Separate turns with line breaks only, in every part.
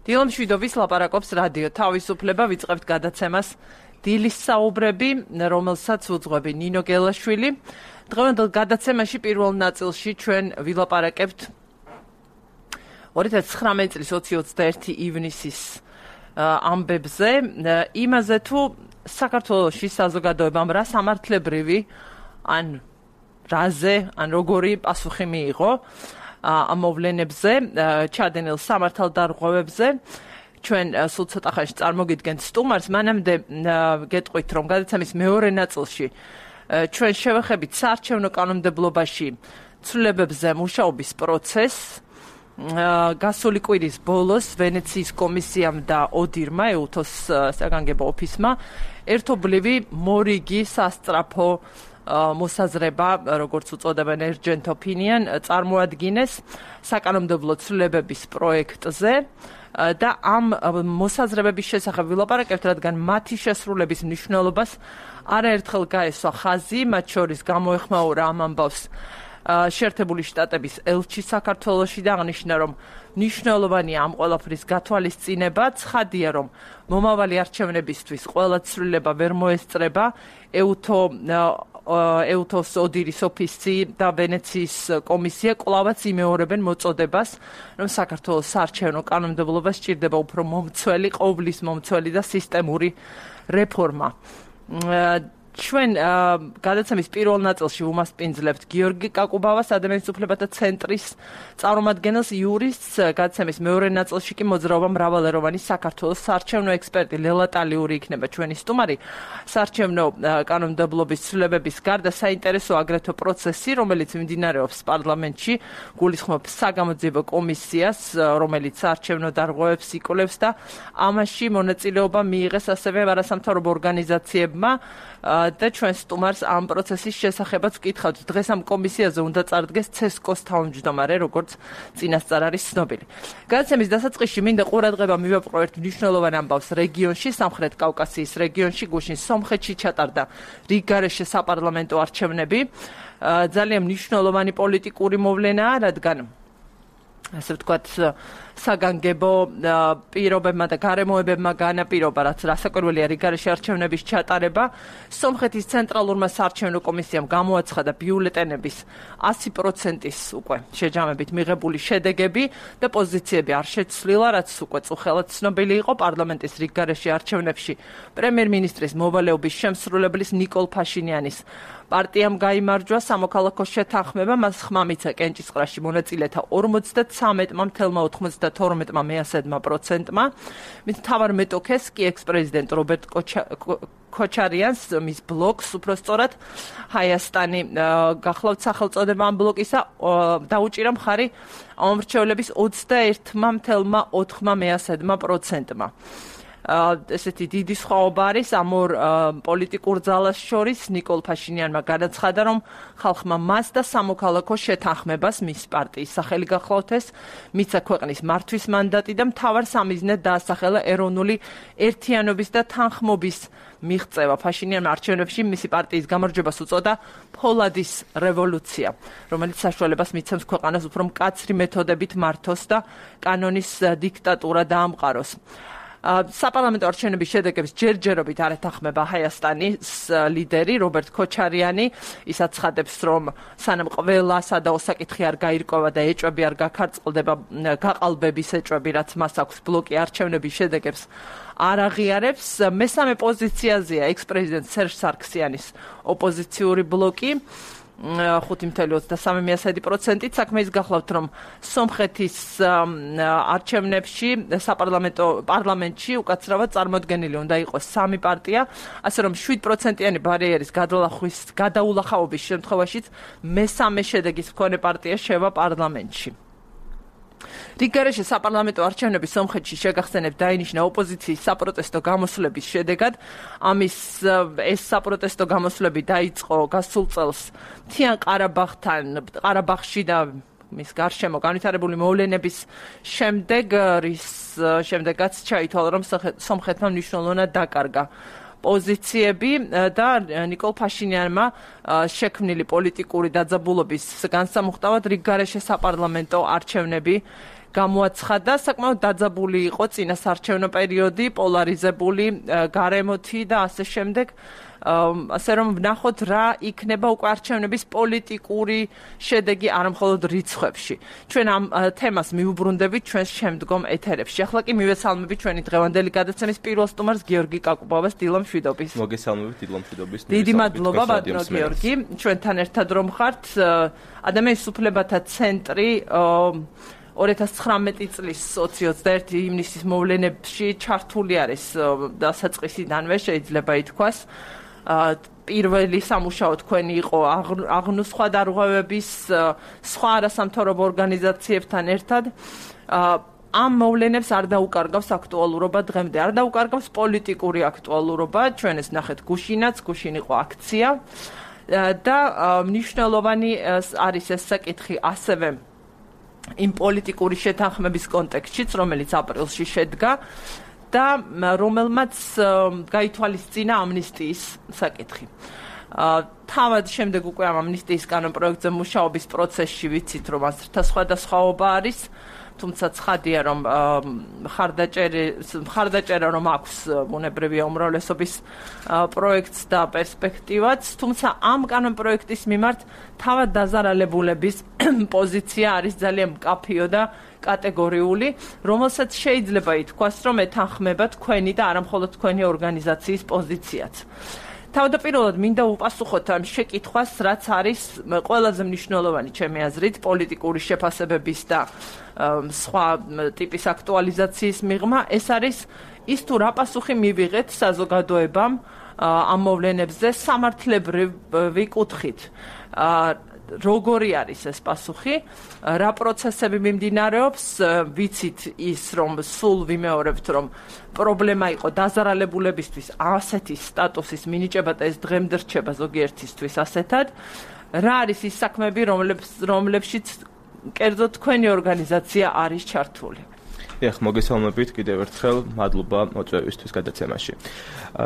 დილა მშვიდობის ლაპარაკობს რადიო თავისუფლება ვიწყებთ გადაცემას დილის საუბრები, რომელსაც უძღვები ნინო გელაშვილი. დღევანდელ გადაცემაში პირველ ნაწილში ჩვენ ვილაპარაკებთ 2019 წლის 20-21 ივნისის ამბებზე, იმაზე თუ საქართველოში საზოგადოებამ რა სამართლებრივი ან რაზე, ან როგორი პასუხი მიიღო ამ მოვლენებზე, ჩადენილ სამართალდარღვევებზე. ჩვენ სულ ცოტა ხანში წარმოგიდგენთ სტუმარს, მანამდე გეტყვით, რომ გადაცემის მეორე ნაწილში ჩვენ შევეხებით საარჩევნო კანონმდებლობაში ცვლილებებზე მუშაობის პროცესს. გასული კვირის ბოლოს ვენეციის კომისიამ და ოდირმა, ეუთოს საგანგებო ოფისმა, ერთობლივი მორიგი სასწრაფო მოსაზრება, როგორც უწოდებენ urgent opinion, წარმოადგინეს საკანონმდებლო ცვლილებების პროექტზე და ამ მოსაზრებების შესახებ ვილაპარაკებთ, რადგან მათი შესრულების მნიშვნელობას არაერთხელ გაესვა ხაზი, მათ შორის გამოეხმაურა ამ ამბავს შეერთებული შტატების ელჩი საქართველოში და აღნიშნა, რომ მნიშვნელოვანია ამ ყველაფრის გათვალისწინება. ცხადია, რომ მომავალი არჩევნებისთვის ყველა ცვლილება ვერ მოესწრება. ეუთოს ოდირის ოფისი და ვენეციის კომისია კვლავაც იმეორებენ მოწოდებას, რომ საქართველოს საარჩევნო კანონმდებლობა სჭირდება უფრო მომცველი, ყოვლის მომცველი და სისტემური რეფორმა. ჩვენ გადაცემის პირველ ნაწილში უმასპინძლებთ გიორგი კაკუბავას, ადამიანის უფლებათა ცენტრის წარმომადგენელს, იურისტს. გადაცემის მეორე ნაწილში კი მოძრაობა მრავალეროვანი საქართველოს საარჩევნო ექსპერტი ლელა ტალიური იქნება ჩვენი სტუმარი. საარჩევნო კანონმდებლობის ცვლილებების გარდა საინტერესო აგრეთვე პროცესი, რომელიც მიმდინარეობს პარლამენტში, გულისხმობს საგამოძიებო კომისიას, რომელიც საარჩევნო დარღვევებს იკვლევს და ამაში მონაწილეობა მიიღეს ასევე არასამთავრობო ორგანიზაციებმა. და ჩვენ სტუმარს ამ პროცესის შესახებაც ვკითხავთ. დღეს ამ კომისიაზე უნდა წარდგეს ცესკოს თავმჯდომარე, როგორც წინასწარ არის ცნობილი. გადაცემის დასაწყისში მინდა ყურადღება მივაპყრო ერთ მნიშვნელოვან ამბავს რეგიონში, სამხრეთ კავკასიის რეგიონში, გუშინ სომხეთში ჩატარდა რიგგარეშე საპარლამენტო არჩევნები. ძალიან მნიშვნელოვანი პოლიტიკური მოვლენაა, რადგან ასე ვთქვათ, საგანგებო პირობებმა და გარემოებებმა განაპირობა, რაც რასაკვირველია რიგგარეშე არჩევნების ჩატარება. სომხეთის ცენტრალურმა საარჩევნო კომისიამ გამოაცხადა ბიულეტენების 100%-ის უკვე შეჯამებით მიღებული შედეგები და პოზიციები არ შეცვლილა, რაც უკვე წუხელად ცნობილი იყო პარლამენტის რიგგარეშე არჩევნებში. პრემიერ-მინისტრის მოვალეობის შემსრულებლის ნიკოლ ფაშინიანის პარტიამ გაიმარჯვა სამოქალაქო შეთანხმება, მას ხმა მიცა კენჭისყრაში მონაწილეთა 53.92%-მა. მის მთავარ მეტოქეს კი ექს-პრეზიდენტ რობერტ ქოჩარიანს, მის ბლოკს უბრალოდ ჰაიასტანი გახლავთ სახელწოდება ამ ბლოკისა, დაუჭირა მხარი ამომრჩევლების 21.4%-მა. ესეთი დიდი სხვაობა არის ამ ორ პოლიტიკურ ძალას შორის. ნიკოლ ფაშინიანმა განაცხადა, რომ ხალხმა მას და სამოქალაქო შეთანხმებას, მის პარტიის სახელი გახლავთ, მიცა ქვეყნის მართვის მანდატი და მთავარ სამიზნედ დაასახელა ეროვნული ერთიანობის და თანხმობის მიღწევა. ფაშინიანმა არჩევნებში მისი პარტიის გამარჯვებას უწოდა ფოლადის რევოლუცია, რომელიც საშუალებას მიცემს ქვეყანას უფრო მკაცრი მეთოდებით მართოს და კანონის დიქტატურა დაამყაროს. საპარლამენტო არჩევნების შედეგებს ჯერჯერობით არ ეთანხმება ჰაიასტანის ლიდერი რობერტ ქოჩარიანი. ის აცხადებს, რომ სანამ ყველა სადაო საკითხი არ გაირკვევა და ეჭვები არ გაქარწყლდება, გაყალბების ეჭვები, რაც მას აქვს, ბლოკი არჩევნების შედეგებს არ აღიარებს. მესამე პოზიციაზეა ექს-პრეზიდენტ სერჟ სარქსიანის ოპოზიციური ბლოკი 5.23%. საქმე ის გახლავთ, რომ სომხეთის არჩევნებში პარლამენტში უკაცრავად წარმოდგენილი უნდა იყოს 3 პარტია, ასე რომ 7%-იანი ბარიერის გადაულახავობის შემთხვევაშიც მესამე შედეგის მქონე პარტია შევა პარლამენტში. რიგგარეშე საპარლამენტო არჩევნები სომხეთში შეგახსენებთ დაინიშნა ოპოზიციის საპროტესტო გამოსვლების შედეგად. ეს საპროტესტო გამოსვლები დაიწყო გასულ წელს მთიან ყარაბაღში და მის გარშემო განვითარებული მოვლენების შემდეგ, რის შემდეგაც ჩაითვალა, რომ სომხეთმა მნიშვნელოვნად დაკარგა პოზიციები და ნიკოლ ფაშინიანმა შექმნილი პოლიტიკური დაძაბულობის განსამუხტავად რიგგარეშე საპარლამენტო არჩევნები გამოაცხადა, საკმაოდ დაძაბული იყო წინასარჩევნო პერიოდი, პოლარიზებული გარემოთი და ასე შემდეგ. ასე რომ ვნახოთ რა იქნება უკვე არჩევნების პოლიტიკური შედეგი არამხოლოდ რიცხვებში. ჩვენ ამ თემას მივუბრუნდებით ჩვენს შემდგომ ეთერებში. ახლა კი მივესალმებით ჩვენი დღევანდელი გადაცემის პირველ სტუმარს გიორგი კაკუბავას, დილო მშვიდობის.
მოგესალმებით დილო მშვიდობის.
დიდი მადლობა ბატონო გიორგი, ჩვენთან ერთად რომ ხართ. ადამიანის უფლებათა ცენტრი 2019 წლის 21 ივნისის მოვლენებში ჩართული არის დასაწყისიდანვე შეიძლება ითქვას. პირველი სამუშაო თქვენი იყო აღნუსხვა დარღვევების სხვა არასამთავრობო ორგანიზაციებთან ერთად. ამ მოვლენებს არ დაუკარგავს აქტუალურობა დღემდე, არ დაუკარგავს პოლიტიკური აქტუალურობა. ჩვენ ეს ნახეთ გუშინაც, გუშინ იყო აქცია და მნიშვნელოვანი არის ეს საკითხი ასევე იმ პოლიტიკური შეთანხმების კონტექსტშიც, რომელიც აპრილში შედგა და რომელმაც გაითვალისწინა ამნისტიის საკითხი. თავად შემდეგ უკვე ამ ამნისტიის კანონპროექტზე მუშაობის პროცესში ვიცით, რომ ასრთა სხვადასხვაობა არის, თუმცა ცხადია, რომ მხარდაჭერა რომ აქვს ბუნებრივია უმრავლესობის პროექტს და პერსპექტივაც, თუმცა ამ კანონპროექტის მიმართ თავად დაზარალებულების პოზიცია არის ძალიან მკაფიო და კატეგორიული, რომელსაც შეიძლება ითქვას, რომ ეთანხმება თქვენი და არამხოლოდ თქვენი ორგანიზაციის პოზიციაც. თავდაპირველად მინდა უპასუხოთ ამ შეკითხვას, რაც არის ყველაზე მნიშვნელოვანი ჩემი აზრით პოლიტიკური შეფასებების და სხვა ტიპის აქტუალიზაციის მიღმა, ეს არის ის თუ რა პასუხი მივიღეთ საზოგადოებამ ამ მოვლენებზე სამართლებრივი კუთხით. როგორი არის ეს პასუხი, რა პროცესები მიმდინარეობს, ვიცით ის, რომ სულ ვიმეორებთ, რომ პრობლემა იყო დაზარალებულებისთვის ასეთი სტატუსის მინიჭება და ეს დღემდე რჩება ზოგიერთისთვის ასეთად. რა არის ის საქმეები, რომლებშიც კერძოდ თქვენი ორგანიზაცია არის ჩართული?
მოგესალმებით კიდევ ერთხელ, მადლობა მოწვევისთვის გადაცემაში.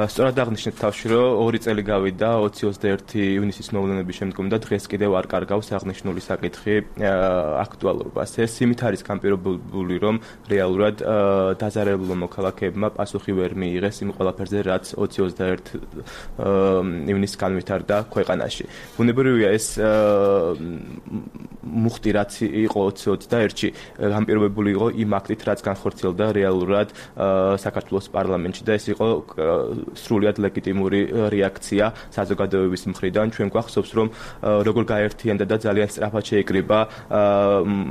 სწორად აღნიშნეთ თავში, რომ 2 წელი გავიდა 2021 ივნისის მოვლენების შემდგომ და დღეს კიდევ არ კარგავს აღნიშნული საკითხი აქტუალობას. ეს იმით არის განპირობებული, რომ რეალურად დაზარალებულმა მოქალაქეებმა პასუხი ვერ მიიღეს იმ ყველაფერზე, რაც 2021 ივნისს განვითარდა ქვეყანაში. ბუნებრივია ეს მუხტი, რაც იყო 2021-ში, განპირობებული იყო იმ აქტით, რაც განხორციელდა რეალურად საქართველოს პარლამენტში და ეს იყო სრულიად ლეგიტიმური რეაქცია საზოგადოების მხრიდან. ჩვენ გვახსოვს, რომ როგორ გაერთიანდა და ძალიან სწრაფად შეიკრიბა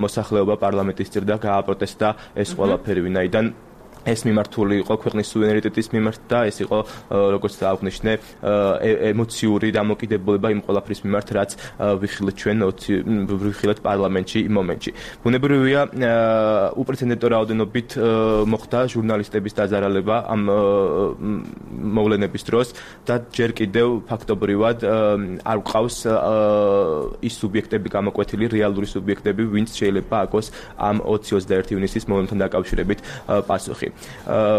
მოსახლეობა პარლამენტის წინ და გააპროტესტა ეს ყველაფერი, ვინაიდან ეს მიმართული იყო ქვეყნის სუვერენიტეტის მიმართ და ეს იყო, როგორც აღნიშნე, ემოციური დამოკიდებულება იმ ყველაფრის მიმართ, რაც ვიხილეთ პარლამენტში იმ მომენტში. ბუნებრივია, უპრეცედენტო რაოდენობით მოხდა ჟურნალისტების დაზარალება ამ მოვლენების დროს და ჯერ კიდევ ფაქტობრივად არ გვყავს ის სუბიექტები გამოკვეთილი, რეალური სუბიექტები, ვინც შეიძლება აქოს ამ 2021 ივნისის მოვლენთან დაკავშირებით პასუხი.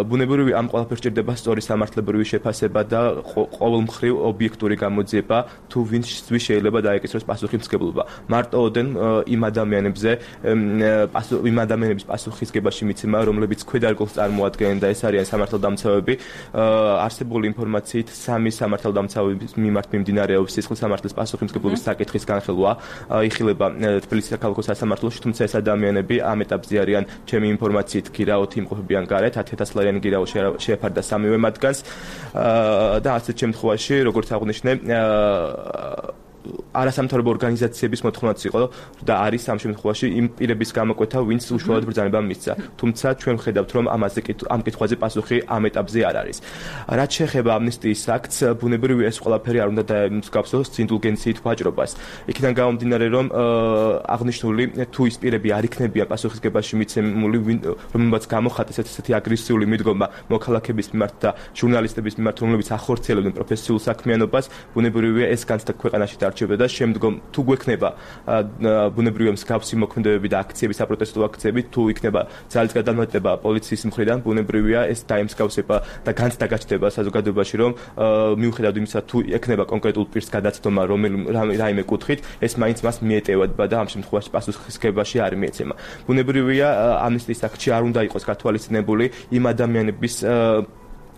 ბუნებრივია, ამ ყველაფერს ჭირდება სწორი სამართლებრივი შეფასება და ყოველმხრივ ობიექტური გამოძიება, თუ ვინც შეიძლება დაეკისროს პასუხისმგებლობა. მარტო ოდენ იმ ადამიანების პასუხისგებაში მიცემა, რომლებიც ქვედარგულს წარმოადგენენ და ეს არიან სამართალდამცავები. არსებული ინფორმაციით 3 სამართალდამცავების მიმართ მიმდინარეობს სისხლის სამართლის პასუხისმგებლობის საკითხის განხილვა. იხილება თბილისის საქალაქო სასამართლოში, თუმცა ეს ადამიანები ამ ეტაპზე არიან ჩემი ინფორმაციით გირაოთი იმყოფებიან გარეთ. 10,000 ლარიანი გირაო შეეფარდა 3-ვე მათგანს და ასეთ შემთხვევაში, როგორც აღნიშნე, არასამთავრობო ორგანიზაციების მოთხოვნაც იყო და არის ამ შემთხვევაში იმ პირების გამოკვეთა, ვინც უშუალოდ ბრძანება მისცა. თუმცა ჩვენ ვხედავთ, რომ ამ კითხვაზე პასუხი ამ ეტაპზე არ არის. რაც შეეხება ამნისტიის აქტს, ბუნებრივია ეს ყველაფერი არ უნდა დაემსგავსოს ინდულგენციით ვაჭრობას. იქიდან გამომდინარე, რომ აღნიშნული თუ ის პირები არ იქნებიან პასუხისგებაში მიცემული, რომელმაც გამოხატეს ესეთი აგრესიული მიდგომა მოქალაქეების მიმართ და ჟურნალისტების მიმართ, რომლებიც ახორციელებდნენ პროფესიულ საქმიანობას, ბუნებრივია ეს განცდა ქვეყანაში დარჩება და და შემდგომ თუ გვექნება ბუნებრივია მსგავსი მოქმედებები და აქციები, საპროტესტო აქციები, თუ იქნება ძალის გადამეტება პოლიციის მხრიდან, ბუნებრივია ეს დაემსგავსება და განცდა გაჩნდება საზოგადოებაში, რომ მიუხედავად იმისა, თუ ექნება კონკრეტულ პირს გადაცდომა რაიმე კუთხით, ეს მაინც მას მიეტევება და ამ შემთხვევაში პასუხისგებაში არ მიეცემა. ბუნებრივია ამნისტიის აქტში არ უნდა იყოს გათვალისწინებული იმ ადამიანების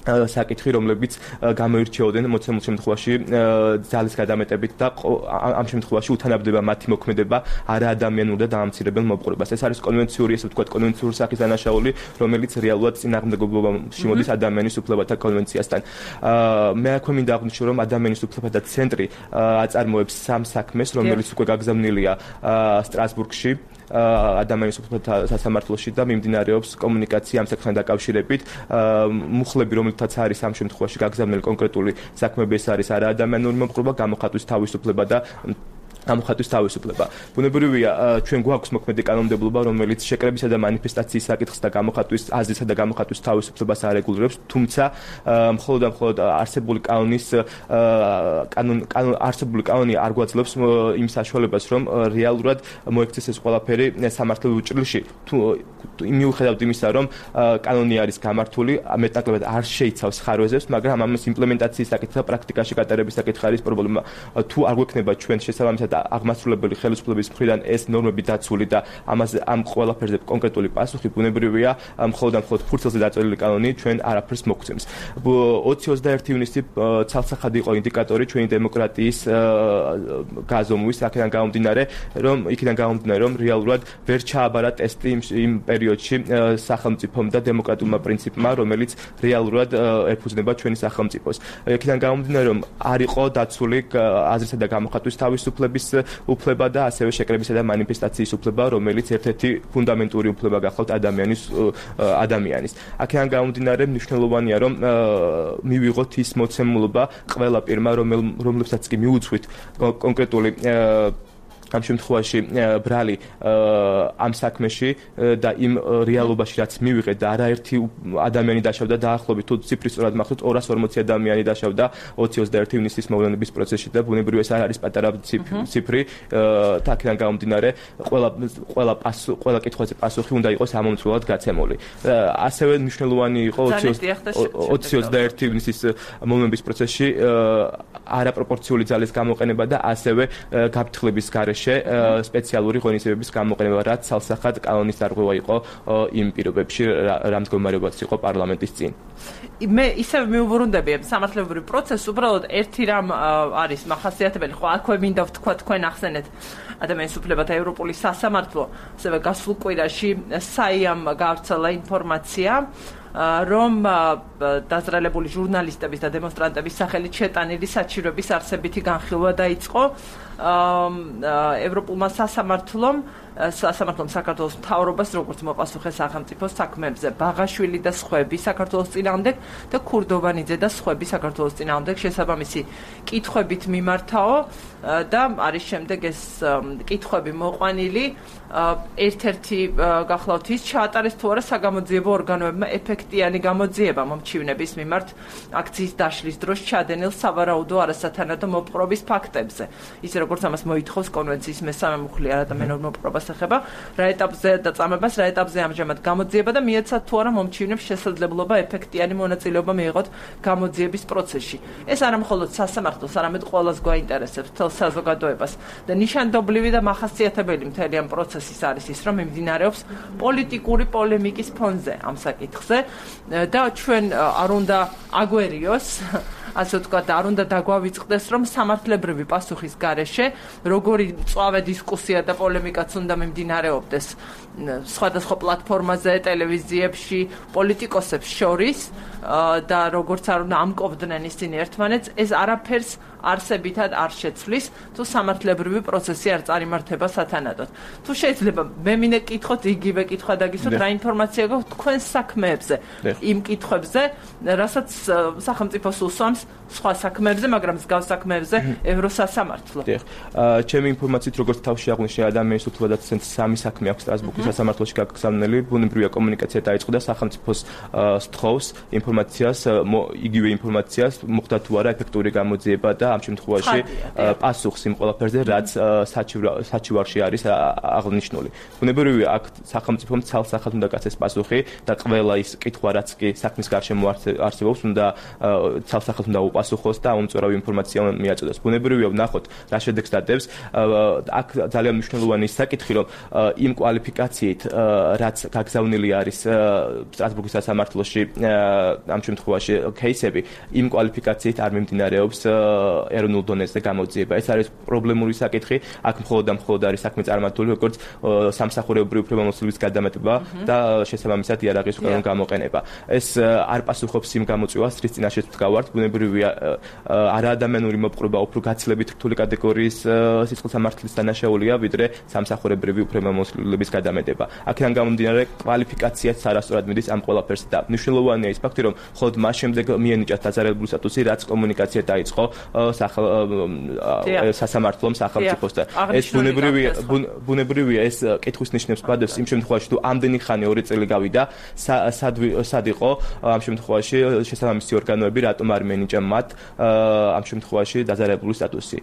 საკითხი, რომლებიც გამოირჩეოდნენ მოცემულ შემთხვევაში ძალის გადამეტებით და ამ შემთხვევაში უთანაბდება მათი მოქმედება არაადამიანურ და დაამცირებელ მოპყრობას. ეს არის კონვენციური, ესე ვთქვათ, კონვენციური სახის დანაშაული, რომელიც რეალურად წინააღმდეგობობაში მოდის ადამიანის უფლებათა კონვენციასთან. მე აქვე მინდა აღვნიშნო, რომ ადამიანის უფლებათა ცენტრი აწარმოებს სამ საქმეს, რომელიც უკვე გაგზავნილია სტრასბურგში. ადამიანის უფლებათა სასამართლოში და მიმდინარეობს კომუნიკაცია ამ საკითხთან დაკავშირებით. მუხლები, რომელთაც არის ამ შემთხვევაში გაგზავნილი კონკრეტული საქმეები, ეს არის არაადამიანური მოპყრობა, გამოხატვის თავისუფლება და გამოხატვის თავისუფლება. ბუნებრივია, ჩვენ გვაქვს მოქმედი კანონმდებლობა, რომელიც შეკრებისა და მანიფესტაციის საკითხს და გამოხატვის აზრისა და გამოხატვის თავისუფლებას არეგულირებს, თუმცა მხოლოდ არსებული კანონი არ გვაძლევს იმ საშუალებას, რომ რეალურად მოექცეს ეს ყველაფერი სამართლებრივ ჭრილში. მიუხედავად იმისა, რომ კანონი არის გამართული, მეტნაკლებად არ შეიცავს ხარვეზებს, მაგრამ ამის იმპლემენტაციის საკითხი და პრაქტიკაში გატარების საკითხი არის პრობლემა. თუ არ გვექნება ჩვენ შესაბამისად აღმასრულებელი ხელისუფლების მხრიდან ეს ნორმები დაცული და ამ ყველაფერზე კონკრეტული პასუხი, ბუნებრივია, მხოლოდ ფურცელზე დაწერილი კანონი ჩვენ არაფერს მოგცემს. 20-21 ივნისი ცალსახად იყო ინდიკატორი ჩვენი დემოკრატიის გაზომვის, აქედან გამომდინარე, რომ რეალურად ვერ ჩააბარა ტესტი იმ პერიოდში სახელმწიფომ და დემოკრატიულმა პრინციპმა, რომელიც რეალურად ეფუძნება ჩვენი სახელმწიფოს. აქედან გამომდინარე, რომ არ იყო დაცული აზრისა და გამოხატვის თავისუფლების უფლება და ასევე შეკრებისა და მანიფესტაციის უფლება, რომელიც ერთ-ერთი ფუნდამენტური უფლება გახლავთ ადამიანის. აქედან გამომდინარე, მნიშვნელოვანია, რომ მივიღოთ ის მოცემულობა ყველა პირმა, რომლებსაც კი მიუძღვით კონკრეტული ამ შემთხვევაში ბრალი ამ საქმეში და იმ რეალობაში, რაც მივიღეთ და არაერთი ადამიანი დაშავდა დაახლოებით თუ ციფრი სწორად მახსოვს 240 ადამიანი დაშავდა 20-21 ივნისის მოვლენების პროცესში და ბუნებრივია ეს არ არის პატარა ციფრი და აქედან გამომდინარე ყველა კითხვაზე პასუხი უნდა იყოს ამომწვრულად გაცემული. ასევე მნიშვნელოვანი იყო 20-21 ივნისის მოვლენების პროცესში არაპროპორციული ძალის გამოყენება და ასევე გაფრთხილების გარეშე სპეციალური ღონისძიებების გამოყენება, რაც ცალსახად კანონის დარღვევა იყო იმ პირობებში, რა მდგომარეობაც იყო პარლამენტის წინ.
მე ისევ მიუბრუნდები სამართლებრივ პროცესს, უბრალოდ ერთი რამ არის მახასიათებელი, ხო აქვე მინდა ვთქვა თქვენ ახსენეთ ადამიანის უფლებათა ევროპული სასამართლო, ასევე გასულ კვირაში საიამ გავრცელა ინფორმაცია, რომ დაზრალებული ჟურნალისტების და დემონსტრანტების სახელით შეტანილი საჩივრების არსებითი განხილვა დაიწყო ევროპულმა სასამართლომ საქართველოს მთავრობას, როგორც მოპასუხე სახელმწიფოს საქმეებზე, ბაღაშვილი და სხვები საქართველოს წინააღმდეგ და ქურდოვანიძე და სხვები საქართველოს წინააღმდეგ შესაბამისი კითხვებით მიმართაო და არის შემდეგ ეს კითხვები მოყვანილი ერთ-ერთი გახლავთ ის ჩაატარეს თუ არა საგამოძიებო ორგანოებმა ეფექტიანი გამოძიება მომჩივნების მიმართ აქციის დაშლის დროს ჩადენილ სავარაუდო არასათანადო მოპყრობის ფაქტებზე. ისე როგორც ამას მოითხოვს კონვენციის მესამე მუხლი არადამიანურ მოპყრობას ეხება, რა ეტაპზე და წამებას რა ეტაპზე ამჟამად გამოძიება და მიეცათ თუ არა მომჩივნებს შესაძლებლობა ეფექტიანი მონაწილეობა მიიღოთ გამოძიების პროცესში. ეს არა მხოლოდ სასამართლოს, არამედ ყველას გვაინტერესებს მთელ საზოგადოებას და ნიშანდობლივი და მახასიათებელი მთელი ამ პროცესის არის ის, რომ მიმდინარეობს პოლიტიკური პოლემიკის ფონზე ამ საკითხზე და ჩვენ არ უნდა აგვერიოს, ასე ვთქვათ, არ უნდა დაგვავიწყდეს, რომ სამართლებრივი პასუხის გარეშე როგორი მწვავე დისკუსია და პოლემიკაც უნდა მიმდინარეობდეს სხვადასხვა პლატფორმაზე, ტელევიზიებში, პოლიტიკოსებს შორის და როგორც არ უნდა ამკობდნენ ისინი ერთმანეთს, ეს არაფერს არსებითად არ შეცვლის, თუ სამართლებრივი პროცესი არ წარიმართება სათანადოდ. თუ შეიძლება მე მინდა კითხოთ იგივე კითხვა დაგისვათ, რა ინფორმაცია გაქვთ თქვენ საქმეებზე, იმ კითხვებზე, რასაც სახელმწიფოს უსვამს სხვა საქმეებზე, მაგრამ მსგავს საქმეებზე ევროსასამართლო.
ჩემი ინფორმაციით, როგორც თავში აღვნიშნე ადამიანის უფლებათა 2023 წელს 3 საქმე აქვს სტრასბურგის სასამართლოში გაგზავნილი, ბუნებრივია კომუნიკაცია დაიწყო და სახელმწიფოს სთხოვს ინფორმაციას, იგივე ინფორმაციას მოხდა თუ არა ეფექტური გამოძიება და ამ შემთხვევაში პასუხს იმ ყველაფერზე, რაც საჩივარში არის აღნიშნული. ბუნებრივია აქ სახელმწიფომ ცალსახად უნდა გაცეს პასუხი და ყველა ის კითხვა, რაც კი საქმის გარშემო არსებობს, უნდა ცალსახად უნდა უპასუხოს და უმწურავი ინფორმაცია მიაწოდოს. ბუნებრივია ვნახოთ რა შედეგს დადებს. აქ ძალიან მნიშვნელოვანი საკითხი, რომ იმ კვალიფიკაციით, რაც გაგზავნილი არის სტრასბურგის სასამართლოში ამ შემთხვევაში кейსები, იმ კვალიფიკაციით არ მიმდინარეობს ეროვნულ დონეზე გამოძიება. ეს არის პრობლემური საკითხი. აქ მხოლოდ არის საქმე წარმართული, როგორც სამსახურებრივი უფლებამოსილების გადამეტება და შესაბამისად იარაღის უკანონო გამოყენება. ეს არ პასუხობს იმ გამოწვევას, რის წინაშეც ვდგავართ. ბუნებრივია არაადამიანური მოპყრობა უფრო გაცილებით რთული კატეგორიის სისხლსამართლის დანაშაულია, ვიდრე სამსახურებრივი უფლებამოსილების გადამეტება. აქედან გამომდინარე, კვალიფიკაციაც არასწორად მიდის ამ ყველაფერს და მნიშვნელოვანია ის ფაქტი, რომ მხოლოდ მას შემდეგ მიენიჭათ დაზარალებული სტატუსი, რაც კომუნიკაცია დაიწყო სასამართლომ სახელმწიფოსთან. ეს ბუნებრივია ეს კითხვის ნიშნებს ბადებს იმ შემთხვევაში, თუ ამდენი ხანი 2 წელი გავიდა, სად იყო ამ შემთხვევაში შესაბამისი ორგანოები, რატომ არ მიენიჭა მათ ამ შემთხვევაში დაზარალებული სტატუსი.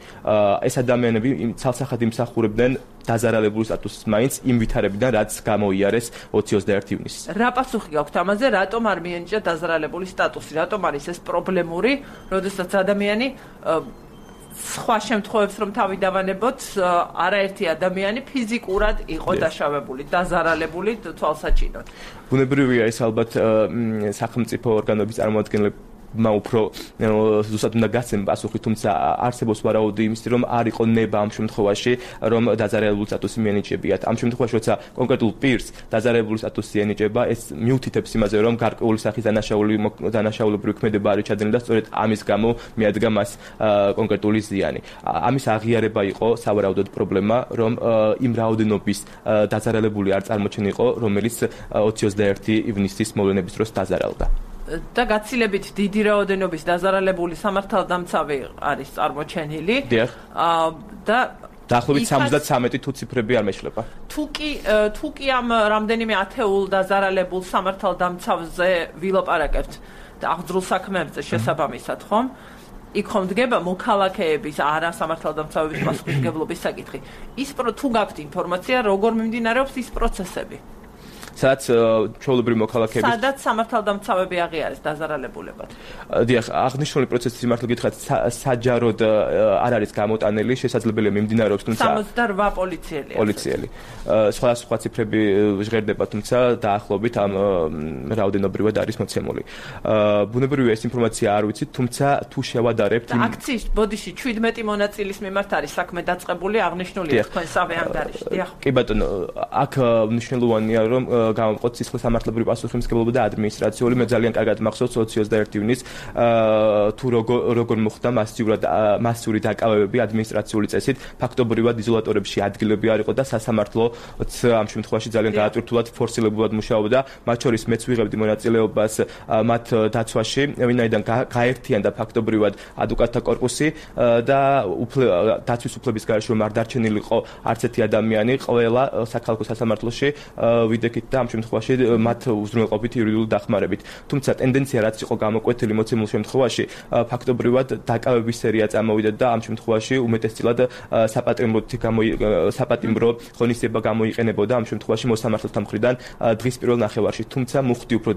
ეს ადამიანები ცალსახად იმსახურებდნენ დაზარალებული სტატუსის მაინც იმ ვითარებიდან, რაც გამოიარეს 20-21 ივნისს.
რა პასუხი გაქვთ ამაზე, რატომ არ მიენიჭა დაზარალებული სტატუსი? რატომ არის ეს პრობლემური, როდესაც ადამიანი სხვა შემთხვევებს რომ თავი დავანებოთ, არაერთი ადამიანი ფიზიკურად იყო დაშავებული, დაზარალებული თვალსაჩინოდ.
ბუნებრივია ეს ალბათ სახელმწიფო ორგანოების წარმომადგენლები უფრო ზუსტად უნდა გაცემ პასუხი, თუმცა არსებობს ვარაუდი იმისი, რომ არ იყო ნება ამ შემთხვევაში, რომ დაზარალებული სტატუსი მიენიჭებიათ. ამ შემთხვევაში, როცა კონკრეტულ პირს დაზარალებული სტატუსი ენიჭება, ეს მიუთითებს იმაზე, რომ გარკვეული სახის დანაშაულებრივი ქმედება არის ჩადენილი და სწორედ ამის გამო მიადგა მას კონკრეტული ზიანი. ამის აღიარება იყო სავარაუდოდ პრობლემა, რომ იმ რაოდენობის დაზარალებული არ წარმოჩენილიყო, რომელიც 21 ივნისის მოვლენების დროს დაზარალდა.
და გაცილებით დიდი რაოდენობის დაზარალებული სამართალდამცავი არის წარმოჩენილი. და
დაახლოებით 73 თუ ციფრები არ მეშლება.
თუ კი ამ რამდენიმე ათეულ დაზარალებულ სამართალდამცავზე ვილაპარაკებთ და აღძრულ საქმეებზე შესაბამისად, ხომ? იქ ხომ დგება მოქალაქეების არა სამართალდამცავების პასუხისმგებლობის საკითხი. თუ გაქვთ ინფორმაცია, როგორ მიმდინარეობს ის პროცესები?
სადაც ჩვეულებრივი მოქალაქეების
სადაც სამართალდამცავები აღიარეს დაზარალებულებად.
დიახ, აღნიშნული პროცესი სიმართლე გითხრათ, საჯაროდ არ არის გამოტანილი, შესაძლებელია მიმდინარეობს, თუმცა
68 პოლიციელი.
სხვა ციფრები ჟღერდება, თუმცა დაახლოებით ამ რაოდენობრივად არის მოცემული. ბუნებრივია ეს ინფორმაცია არ ვიცით, თუმცა თუ შევადარებთ
აქციის ბოდიში 17 მონაწილის მიმართ არის საქმე დაწყებული, აღნიშნულია თქვენ სავე ანგარიში. დიახ.
კი ბატონო, აქ მნიშვნელოვანია, რომ გამოვყოთ სისხლსამართლებრივი პასუხისმგებლობა და ადმინისტრაციული. მე ძალიან კარგად მახსოვს 21 ივნისს თუ როგორ მოხდა მასიური დაკავებები ადმინისტრაციული წესით, ფაქტობრივად იზოლატორებში ადგილები არ იყო და სასამართლოც ამ შემთხვევაში ძალიან გაატვირთულად ფორსირებულად მუშაობდა. მათ შორის მეც ვიღებდი მონაწილეობას მათ დაცვაში, ვინაიდან გაერთიანდა ფაქტობრივად ადვოკატთა კორპუსი და დაცვის უფლების გარეშე რომ არ დარჩენილიყო არც ერთი ადამიანი, ყველა საქალაქო სასამართლოში ვიდექით და ამ შემთხვევაში მათ უზრუნველყოფით იურიდიული დახმარებით. თუმცა ტენდენცია რაც იყო გამოკვეთილი მოცემულ შემთხვევაში, ფაქტობრივად დაკავების სერია წამოვიდა და ამ შემთხვევაში უმეტესწილად საპატიმრო ღონისძიება გამოიყენებოდა ამ შემთხვევაში მოსამართლეთა მხრიდან დღის პირველ ნახევარში. თუმცა მუხტი უფრო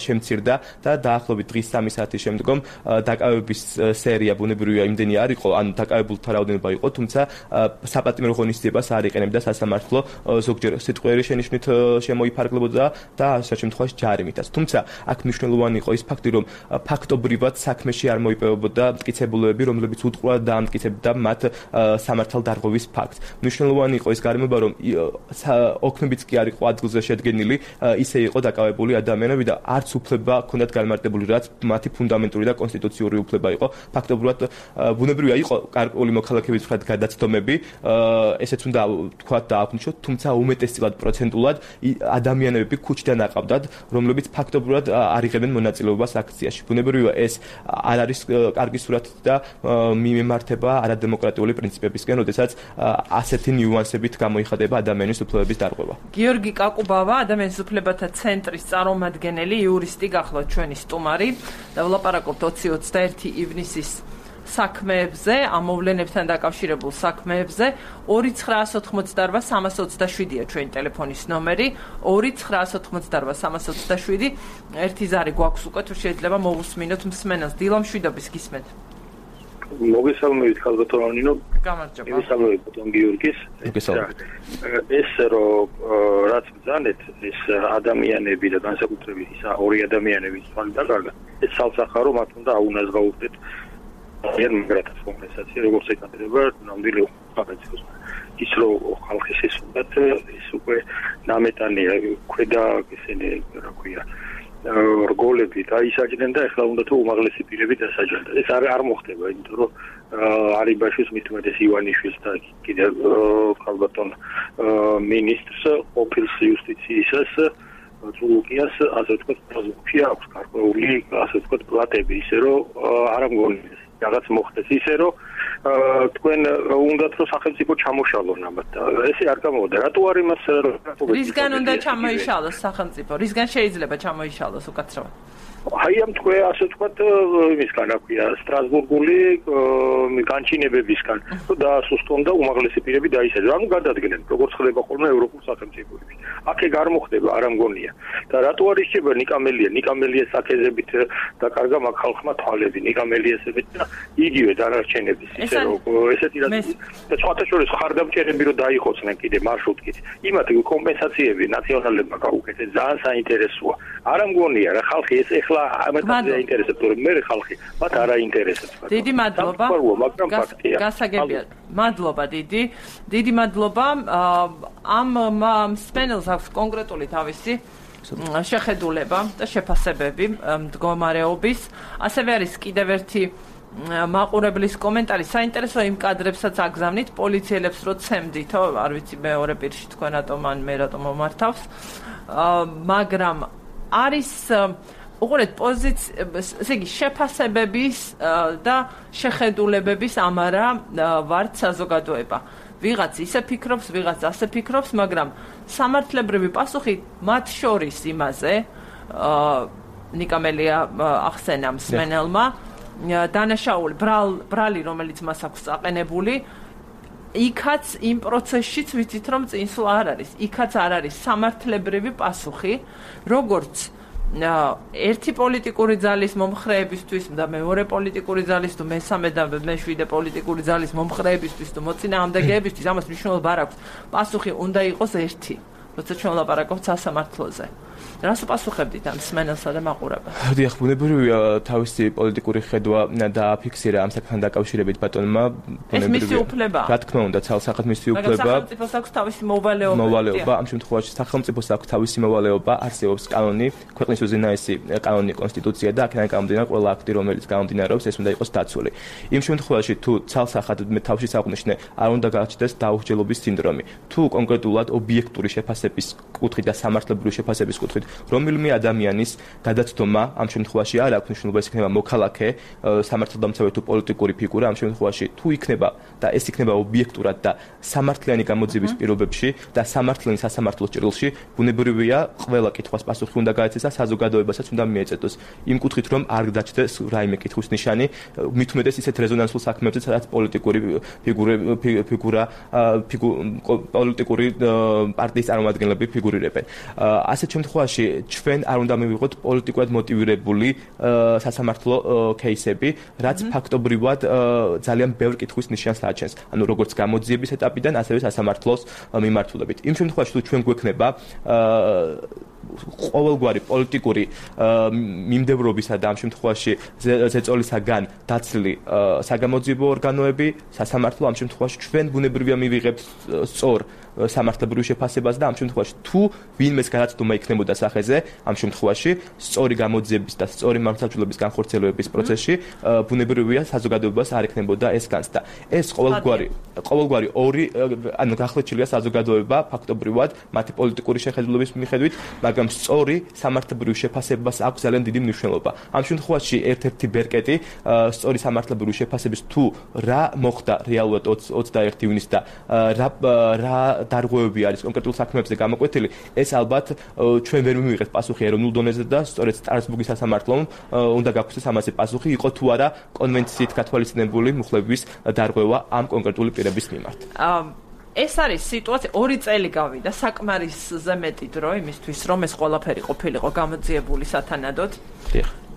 შემცირდა და დაახლოებით დღის 3 საათის შემდგომ დაკავების სერია ბუნებრივია იმდენი არ იყო, ანუ დაკავებულთა რაოდენობა იყო, თუმცა საპატიმრო ღონისძიებას არ იყენებდა სასამართლო, ზოგჯერ სიტყვიერი შენიშვნით შემოიფარგლებოდა და ამ შემთხვევაში ჯარიმითაც. თუმცა აქ მნიშვნელოვანი იყო ის ფაქტი, რომ ფაქტობრივად საქმეში არ მოიპოვებოდა მტკიცებულებები, რომლებიც უტყუა დაამტკიცებდა მათ სამართალდარღვევის ფაქტს. მნიშვნელოვანი იყო ის გარემოება, რომ ოქმებიც კი არ იყო ადგილზე შედგენილი, ისე იყო დაკავებული ადამიანები და არც უფლება ჰქონდათ განმარტებული, რაც მათი ფუნდამენტური და კონსტიტუციური უფლება იყო. ფაქტობრივად ბუნებრივია იყო გარკვეული მოქალაქეების მხრად გადაცდომები, ესეც უნდა თქვათ და აღნიშნოთ, თუმცა უმეტესწილად პროცენტულად ადამიანები ქუჩიდან აყავდათ, რომლებიც ფაქტობრივად არ იღებენ მონაწილეობას აქციაში. ბუნებრივია ეს არ არის კარგი სურათი და მიმართება არადემოკრატიული პრინციპებისკენ, როდესაც ასეთი ნიუანსებით გამოიხატება ადამიანის უფლებების დარღვევა.
გიორგი კაკუბავა, ადამიანის უფლებათა ცენტრის წარმომადგენელი, იურისტი გახლავთ ჩვენი სტუმარი და ვლაპარაკობთ 20-21 ივნისის საქმეებზე, ამ მოვლენებთან დაკავშირებულ საქმეებზე. 2988327-ია ჩვენი ტელეფონის ნომერი, 2988327. ერთი ზარი გვაქვს უკვე, თუ შეიძლება მოვუსმინოთ მსმენელს. დილა მშვიდობის გისმენთ.
მოგესალმებით ხალბატონო ნინო.
გამარჯობა.
მოგესალმებით ბატონ გიორგის. ეს რაც ბრძანეთ, ეს ადამიანები და განსაკუთრებით ის ორი ადამიანების თვალი დაკარგა. ეს სამსახარო მათ უნდა აუნაზღაურდეთ მაგრათაც კომპენსაცია, როგორც ეკადრება ნამდვილი ხალხის. ის რომ ხალხის ეს უნდათ, ეს უკვე ნამეტანია, ქვედა ესენი, რა ქვია, რგოლები დაისაჯნენ და ეხლა უნდა თუ უმაღლესი პირები დასაჯონ. ეს არ მოხდება, იმიტომ რომ არიბაშვილს მით უმეტეს ივანიშვილს და კიდევ ხალბატონ მინისტრს ყოფილ იუსტიციისას ზულუკიას ასე ვთქვათ, პროზუქცია აქვს გარკვეული, ასე ვთქვათ, პლატები, ისე რომ არ ამგონი რაღაც მოხდეს, ისე რომ თქვენ უნდათ რომ სახელმწიფო ჩამოშალონ ამათ. ესე არ გამოვიდა. რატო არ იმას
რისგან უნდა ჩამოიშალოს სახელმწიფო? რისგან შეიძლება ჩამოიშალოს უკაცრავად?
აი ამ თქვენ ასე ვთქვათ, იმისგან რა ქვია, სტრასბურგული განჩინებებისგან დაასუსტონ და უმაღლესი პირები დაისაჯონ. ანუ გადადგნენ, როგორც ხდება ხოლმე ევროპულ სახელმწიფოებში. აქ არ მოხდება, არ ამგონია. და რატო არ ისება ნიკამელიას აქეზებით დაკარგა მაგ ხალხმა თვალები, ნიკამელიასებით და იგივე დანარჩენების, ისე რომ ესეთი რა და სხვათა შორის ხარდამჭერები რომ დაიხოცნენ კიდე მარშრუტით. იმათ კომპენსაციები ნაციონალებმა გაუკეთეს, ძალიან საინტერესოა. არ ამგონია რა ხალხი ეს ეხლა ამათაც აინტერესებს, რომ მე ხალხი მათ არ აინტერესებს.
დიდი მადლობა. გასაგებია. მადლობა დიდი მადლობა. ამ სპენელს აქვს კონკრეტული თავისი შეხედულება და შეფასებები მდგომარეობის. ასევე არის კიდევ ერთი მაყურებლის კომენტარი. საინტერესო იმ კადრებსაც აგზავნით პოლიციელებს რო ცემდითო, არ ვიცი მეორე პირში თქვენ რატომ ან მე რატომ მომართავს. მაგრამ არის უყურეთ ესე იგი შეფასებების და შეხედულებების ამარა ვართ საზოგადოება. ვიღაც ისე ფიქრობს, ვიღაც ასე ფიქრობს, მაგრამ სამართლებრივი პასუხი მათ შორის იმაზე ნიკამელია ახსენა მსმენელმა დანაშაული ბრალი, რომელიც მას აქვს აყენებული, იქაც იმ პროცესშიც ვიცით რომ წინსვლა არ არის. იქაც არ არის სამართლებრივი პასუხი, როგორც ერთი პოლიტიკური ძალის მომხრეებისთვის და მეორე პოლიტიკური ძალის თუ მესამე და მეშვიდე პოლიტიკური ძალის მომხრეებისთვის თუ მოწინააღმდეგეებისთვის ამას მნიშვნელობა არ აქვს. პასუხი უნდა იყოს ერთი, როცა ჩვენ ვლაპარაკობთ სასამართლოზე. რას უპასუხებდით ამ მსმენელსა და მაყურებელს?
დიახ, ბუნებრივია თავისი პოლიტიკური ხედვა დააფიქსირა ამ საკითხთან დაკავშირებით ბატონმა.
ეს მისი უფლება.
რა თქმა უნდა, ცალსახად მისი უფლება.
მაგრამ სახელმწიფოს აქვს თავისი მოვალეობა.
ამ შემთხვევაში სახელმწიფოს აქვს თავისი მოვალეობა, არსებობს კანონი, ქვეყნის უზენაესი კანონი, კონსტიტუცია და აქედან გამომდინარე ყველა აქტი, რომელიც გამომდინარეობს, ეს უნდა იყოს დაცული. იმ შემთხვევაში თუ ცალსახად მე თავში საუბრნიშნე, არ უნდა გააჩნდეს დაუხჯელობის სინდრომი. თუ კონკრეტულად ობიექტური შეფასების კუთხით და სამართლებრივი შეფასების კუთხით რომელიმე ადამიანის გადაცდომა ამ შემთხვევაში არ აქვს მნიშვნელობა, ეს იქნება მოქალაქე, სამართალდამცავი თუ პოლიტიკური ფიგურა, ამ შემთხვევაში თუ იქნება და ეს იქნება ობიექტურად და სამართლიანი გამოძიების პირობებში და სამართლიანი სასამართლოს ჭრილში, ბუნებრივია ყველა კითხვას პასუხი უნდა გაეცეს და საზოგადოებასაც უნდა მიეწოდოს. იმ კუთხით რომ არ დაჩნდეს რაიმე კითხვის ნიშანი, მით უმეტეს ისეთ რეზონანსულ საქმეებზე, სადაც პოლიტიკური ფიგურა პოლიტიკური პარტიის წარმომადგენლები ფიგურირებენ. ასეთ შემთხვევაში ჩვენ არ უნდა მივიღოთ პოლიტიკურად მოტივირებული სასამართლო кейსები, რაც ფაქტობრივად ძალიან ბევრ კითხვის ნიშანს აჩენს. ანუ როგორც გამოძიების ეტაპიდან, ასევე სასამართლოს მიმართულებით. იმ შემთხვევაში თუ ჩვენ გვექნება ყოველგვარი პოლიტიკური მიმდევრობისა და ამ შემთხვევაში ზეწოლისაგან დაცლილი საგამოძიებო ორგანოები, სასამართლო ამ შემთხვევაში ჩვენ ბუნებრივია მივიღებთ სწორ სამართლებრივ შეფასებას და ამ შემთხვევაში თუ ვინმეს გადაცდომა იქნებოდა სახეზე, ამ შემთხვევაში სწორი გამოძიების და სწორი მართლმსაჯულების განხორციელების პროცესში ბუნებრივია საზოგადოებას არ ექნებოდა ეს განცდა. ეს ყოველგვარი ორი ანუ გახლეჩილია საზოგადოება ფაქტობრივად მათი პოლიტიკური შეხედულების მიხედვით, მაგრამ სწორი სამართლებრივ შეფასებას აქვს ძალიან დიდი მნიშვნელობა. ამ შემთხვევაში ერთ-ერთი ბერკეტი სწორი სამართლებრივ შეფასების თუ რა მოხდა რეალურად 21 ივნისს და რა დარღვევები არის კონკრეტულ საქმეებზე გამოკვეთილი, ეს ალბათ ჩვენ ვერ მივიღეთ პასუხი ეროვნულ დონეზე და სწორედ სტრასბურგის სასამართლომ უნდა გაგვცეს ამაზე პასუხი, იყო თუ არა კონვენციით გათვალისწინებული მუხლების დარღვევა ამ კონკრეტული პირების მიმართ.
ეს არის სიტუაცია 2 წელი გავიდა საკმარისზე მეტი დრო იმისთვის რომ ეს ყველაფერი ყოფილიყო გამოძიებული სათანადოდ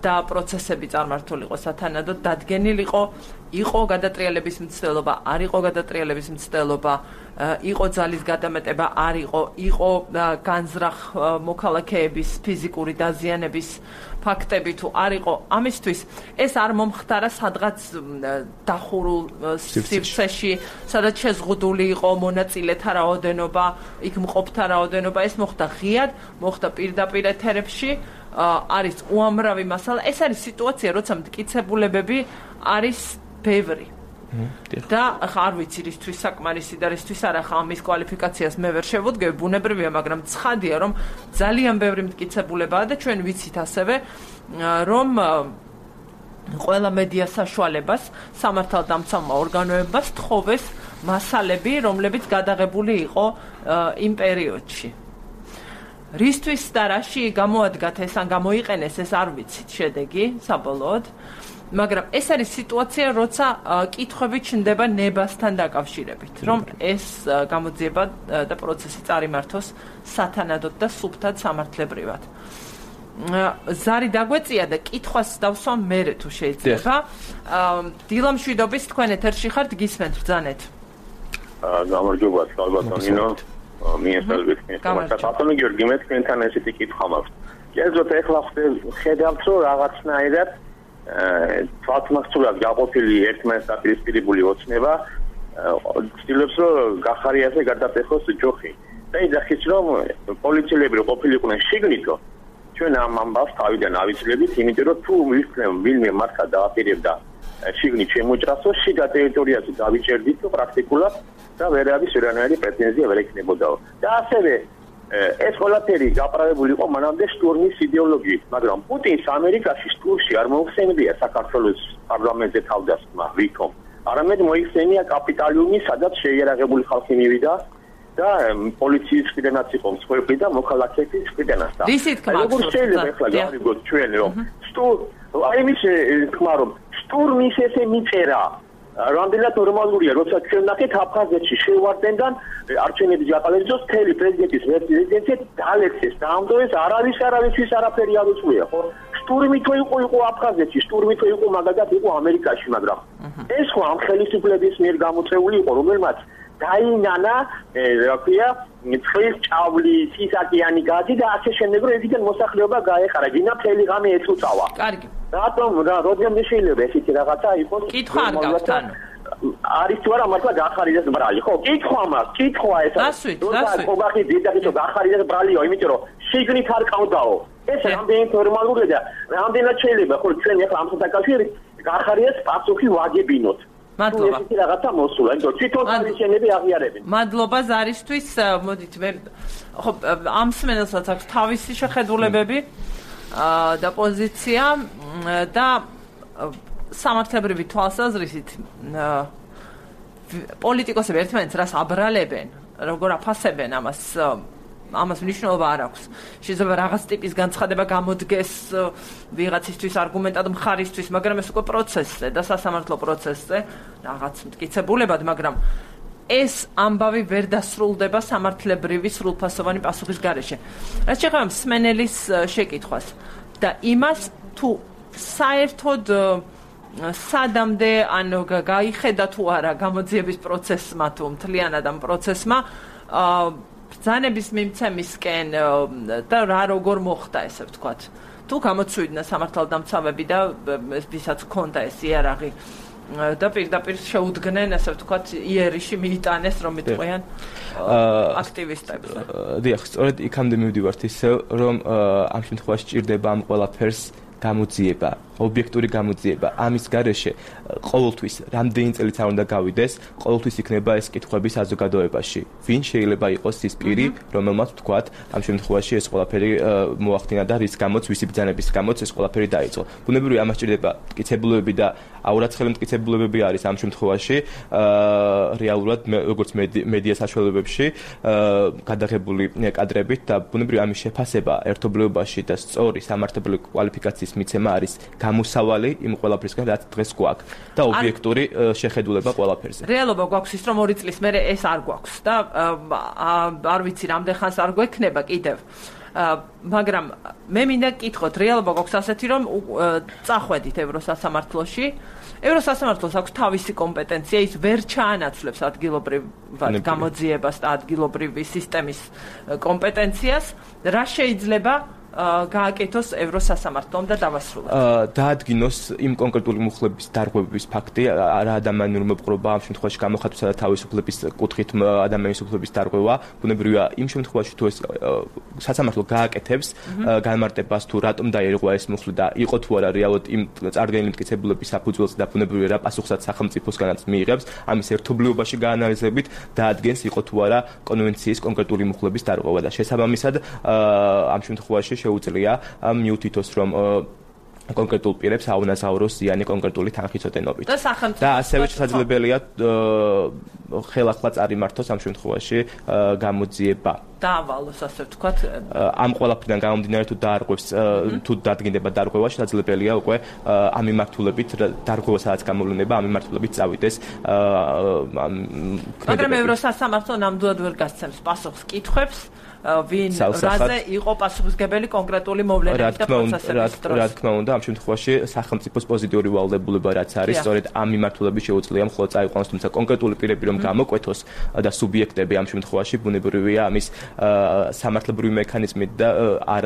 და პროცესები წარმართულიყო სათანადოდ, დადგენილიყო, იყო გადატრიალების მცდელობა, არ იყო გადატრიალების მცდელობა, იყო ძალის გადამეტება, არ იყო განზრახ მოქალაქეების ფიზიკური დაზიანების ფაქტები თუ არ იყო, ამისთვის ეს არ მომხდარა სადღაც დახურულ სივრცეში, სადაც შეზღუდული იყო მონაწილეთა რაოდენობა, იქ მყოფთა რაოდენობა, ეს მოხდა ღიად, მოხდა პირდაპირ ეთერებში. არის უამრავი მასალა. ეს არის სიტუაცია, როცა მტკიცებულებები არის ბევრი. და ახლა არ ვიცი რისთვის საკმარისი და რისთვის არა, ხა ამის კვალიფიკაციას მე ვერ შევუდგები, ბუნებრივია, მაგრამ ცხადია, რომ ძალიან ბევრი მტკიცებულებაა და ჩვენ ვიცით ასევე, რომ ყველა მედია საშუალებას სამართალდამცავმა ორგანოებას თხოვეს მასალები, რომლებიც გადაღებული იყო იმ პერიოდში. რისთვის და რაში გამოადგათ ეს ან გამოიყენეს ეს არ ვიცით შედეგი საბოლოოდ, მაგრამ ეს არის სიტუაცია, როცა კითხვები ჩნდება ნებასთან დაკავშირებით, რომ ეს გამოძიება და პროცესი წარიმართოს სათანადოდ და სუფთად სამართლებრივად. ზარი დაგვეწია და კითხვას დავსვამ მერე თუ შეიძლება. დილა მშვიდობის, თქვენ ეთერში ხართ, გისმენთ ბრძანეთ.
გამარჯობა, ალბათონინო. მიესალმებით. ბატონო გიორგი, მე თქვენთან ესეთი კითხვა მაქვს. კერძოდ ეხლა ხედავთ, რომ რაღაცნაირად თვალთმახსოვრად გაყოფილი ერთმანეთს დაპირისპირებული ოცნება ცდილობს, რომ გახარიაზე გადაწეხოს ჯოხი. და იძახის, რომ პოლიციელები ყოფილიყვნენ შიგნითო, ჩვენ ამ ამბავს თავიდან ავიცილებით, იმიტომ რომ თუ ვინმე მართლა დააპირებდა შიგნით შემოჭრასო, შიგა ტერიტორიაზე დავიჭერდით პრაქტიკულად და ვერავის ვერანაირი პრეტენზია ვერ ექნებოდაო. და ასევე ეს ყველაფერი გაპრავებული იყო მანამდე შტურმის იდეოლოგიით, მაგრამ პუტინს ამერიკაში შტურმში არ მოიხსენებია საქართველოს პარლამენტზე თავდასხმა ვითომ. არამედ მოიხსენია კაპიტალიუმი, სადაც შეიარაღებული ხალხი მივიდა და პოლიციის მხრიდანაც იყო მსხვერპლი და მოქალაქეების მხრიდანაც. როგორ შეიძლება ახლა გავიგოთ ჩვენ რომ აი მის თქმა რომ შტურმის ესე მიწერა რამდენად ნორმალურია, როცა ჩვენ ნახეთ აფხაზეთში შევარდენდან არჩევნების გატარებისთვის მთელი პრეზიდენტის რეზიდენცია დალექცეს, დაამდოვეს, არავისთვის არაფერი არ უწვია, ხო? შტურმი თუ იყო აფხაზეთში, შტურმი თუ იყო მაგალითად იყო ამერიკაში, მაგრამ ეს ხო ამ ხელისუფლების მიერ გამოწეული იყო, რომელმაც დაინანა, რა ქვია, წყლის ჭავლი, სისაკიანი გაზი და ასე შემდეგ, რომ ეგიდან მოსახლეობა გაეხარა, გინდა მთელი ღამე ეწუწავა.
კარგი.
რატომ რამდენიმე შეიძლება ესეთი რაღაცა იყოს?
კითხვა არ გაქვთ ანუ.
არის თუ არა მართლა გახარიდეს ბრალი, ხო? კითხვა მაქვს, კითხვა ეს არის.
დასვით.
ოღახი დედაქიო გახარიდეს ბრალიო, იმიტომ რომ შიგნით არ ყავდაო. ეს რამდენი ნორმალურია და რამდენად შეიძლება, ხო, ჩვენ ახლა ამ საკავშირით გახარიდეს პასუხი ვაგებინოთ.
მადლობა.
ეს რაღაცა მოსულა, იმიტომ თვითონ არჩევნები აღიარებენ.
მადლობა ზარისთვის, მოდით მე ხო ამ სმენელსაც აქვს თავისი შეხედულებები და პოზიცია და სამართლებრივი თვალსაზრისით პოლიტიკოსები ერთმანეთს რას აბრალებენ, როგორ აფასებენ ამას მნიშვნელობა არ აქვს. შეიძლება რაღაც ტიპის განცხადება გამოდგეს ვიღაცისთვის არგუმენტად მხარისთვის, მაგრამ ეს უკვე პროცესზე და სასამართლო პროცესზე რაღაც მტკიცებულებად, მაგრამ ეს ამბავი ვერ დასრულდება სამართლებრივი სრულფასოვანი პასუხის გარეშე. რაც შეეხება მსმენელის შეკითხვას და იმას, თუ საერთოდ სადამდე ან გაიხედა თუ არა გამოძიების პროცესმა თუ მთლიანად ამ პროცესმა ბრძანების მიმცემისკენ და რა როგორ მოხდა ესე ვთქვათ. თუ გამოცვიდნენ სამართალდამცავები და ვისაც ჰქონდა ეს იარაღი და პირდაპირ შეუდგნენ ასე ვთქვათ იერიში მიიტანეს რომ იტყვიან აქტივისტებს.
დიახ, სწორედ იქამდე მივდივართ ისე რომ ამ შემთხვევაში ჭირდება ამ ყველაფერს გამოძიება, ობიექტური გამოძიება. ამის გარეშე ყოველთვის რამდენი წელიც არ უნდა გავიდეს, ყოველთვის იქნება ეს კითხვები საზოგადოებაში. ვინ შეიძლება იყოს ის პირი, რომელმაც ვთქვათ, ამ შემთხვევაში ეს ყველაფერი მოახდინა და რის გამოც, ვისი ბრძანების გამოც ეს ყველაფერი დაიწყო. ბუნებრივია ამას ჭირდება მტკიცებულებები და აურაცხელი მტკიცებულებები არის ამ შემთხვევაში, რეალურად როგორც მედია საშუალებებში გადაღებული კადრებით და ბუნებრივია ამის შეფასება ერთობლიობაში და სწორი სამართლებრივი კვალიფიკაციის მიცემა არის გამოსავალი იმ ყველაფრისგან, რაც დღეს გვაქვს და ობიექტური შეხედულება ყველაფერზე.
რეალობა გვაქვს ის, რომ 2 წლის მერე ეს არ გვაქვს და არ ვიცი რამდენ ხანს არ გვექნება კიდევ. მაგრამ მე მინდა გკითხოთ, რეალობა გვაქვს ასეთი, რომ წახვედით ევროსასამართლოში. ევროსასამართლოს აქვს თავისი კომპეტენცია, ის ვერ ჩაანაცვლებს ადგილობრივად გამოძიებას და ადგილობრივი სისტემის კომპეტენციას. რა შეიძლება გააკეთოს ევროსასამართლომ და დავასრულოთ.
დაადგინოს იმ კონკრეტული მუხლების დარღვევების ფაქტი, რა ადამიანური მოპყრობა ამ შემთხვევაში გამოხატვისა და თავისუფლების კუთხით ადამიანის უფლების დარღვევა, ბუნებრივია იმ შემთხვევაში თუ ეს სასამართლო გააკეთებს განმარტებას თუ რატომ დაირღვა ეს მუხლი და იყო თუ არა რეალურად იმ წარდგენილი მტკიცებულების საფუძველზე და ბუნებრივია რა პასუხსაც სახელმწიფოსგანაც მიიღებს, ამის ერთობლიობაში გაანალიზებით დაადგენს იყო თუ არა კონვენციის კონკრეტული მუხლების დარღვევა და შესაბამისად ამ შემთხვევაში შეუძლია მიუთითოს რომ კონკრეტულ პირებს აუნაზავროს ზიანი კონკრეტული თანხმიწოდენობით. და ასევე შესაძლებელია ხელახლა წარიმართოს ამ შემთხვევაში გამოძიება.
დაავალოს ასე ვთქვათ.
ამ ყველაფრიდან გამომდინარე თუ დაარღვევს თუ დადგინდება დარღვევა, შესაძლებელია უკვე ამ მიმართულებით დარღვევა სადაც გამოვლენება ამ მიმართულებით წავიდეს.
მაგრამ ევროსასამართლო ნამდვილად ვერ გასცემს პასუხს კითხვებს. ვინ რაზე იყო პასუხისმგებელი კონკრეტული მოვლენების და პროცესების დროს.
რა თქმა უნდა, ამ შემთხვევაში სახელმწიფოს პოზიტიური ვალდებულება რაც არის, სწორედ ამ მიმართულებით შეუძლია მხოლოდ წაიყვანოს, თუმცა კონკრეტული პირები რომ გამოკვეთოს და სუბიექტები ამ შემთხვევაში ბუნებრივია ამის სამართლებრივი მექანიზმით და არ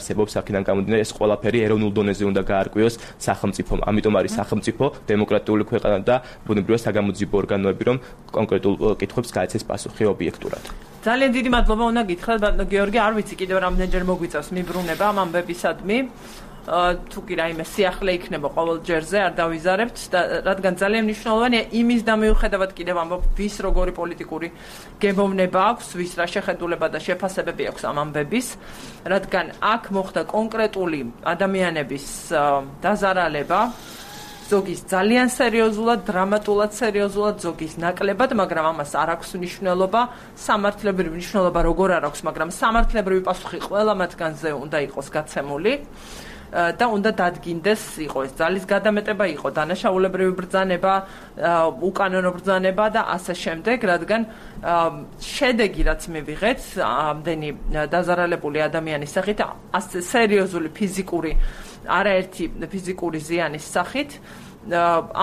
არსებობს აქედან გამომდინარე ეს ყველაფერი ეროვნულ დონეზე უნდა გაარკვიოს სახელმწიფომ. ამიტომ არის სახელმწიფო დემოკრატიული ქვეყანა და ბუნებრივია საგამოძიებო ორგანოები რომ კონკრეტულ კითხვებს გაეცეს პასუხი ობიექტურად.
ძალიან დიდი მადლობა უნდა გითხრათ ბატონო გიორგი, არ ვიცი კიდევ რამდენჯერ მოგვიწევს მიბრუნება ამ ამბებისადმი. თუ კი რაიმე სიახლე იქნება ყოველ ჯერზე არ დავიზარებთ და რადგან ძალიან მნიშვნელოვანია იმის და მიუხედავად კიდევ ამბობ ვის როგორი პოლიტიკური გემოვნება აქვს, ვის რა შეხედულება და შეფასებები აქვს ამ ამბების, რადგან აქ მოხდა კონკრეტული ადამიანების დაზარალება ზოგის ძალიან სერიოზულად, დრამატულად სერიოზულად, ზოგის ნაკლებად, მაგრამ ამას არ აქვს მნიშვნელობა, სამართლებრივი მნიშვნელობა როგორ არ აქვს, მაგრამ სამართლებრივი პასუხი ყველა მათგანზე უნდა იყოს გაცემული და უნდა დადგინდეს, იყო ეს ძალის გადამეტება, იყო დანაშაულებრივი ბრძანება, უკანონო ბრძანება და ასე შემდეგ, რადგან შედეგი რაც მივიღეთ, ამდენი დაზარალებული ადამიანის სახით, ასე სერიოზული ფიზიკური არაერთი ფიზიკური ზიანის სახით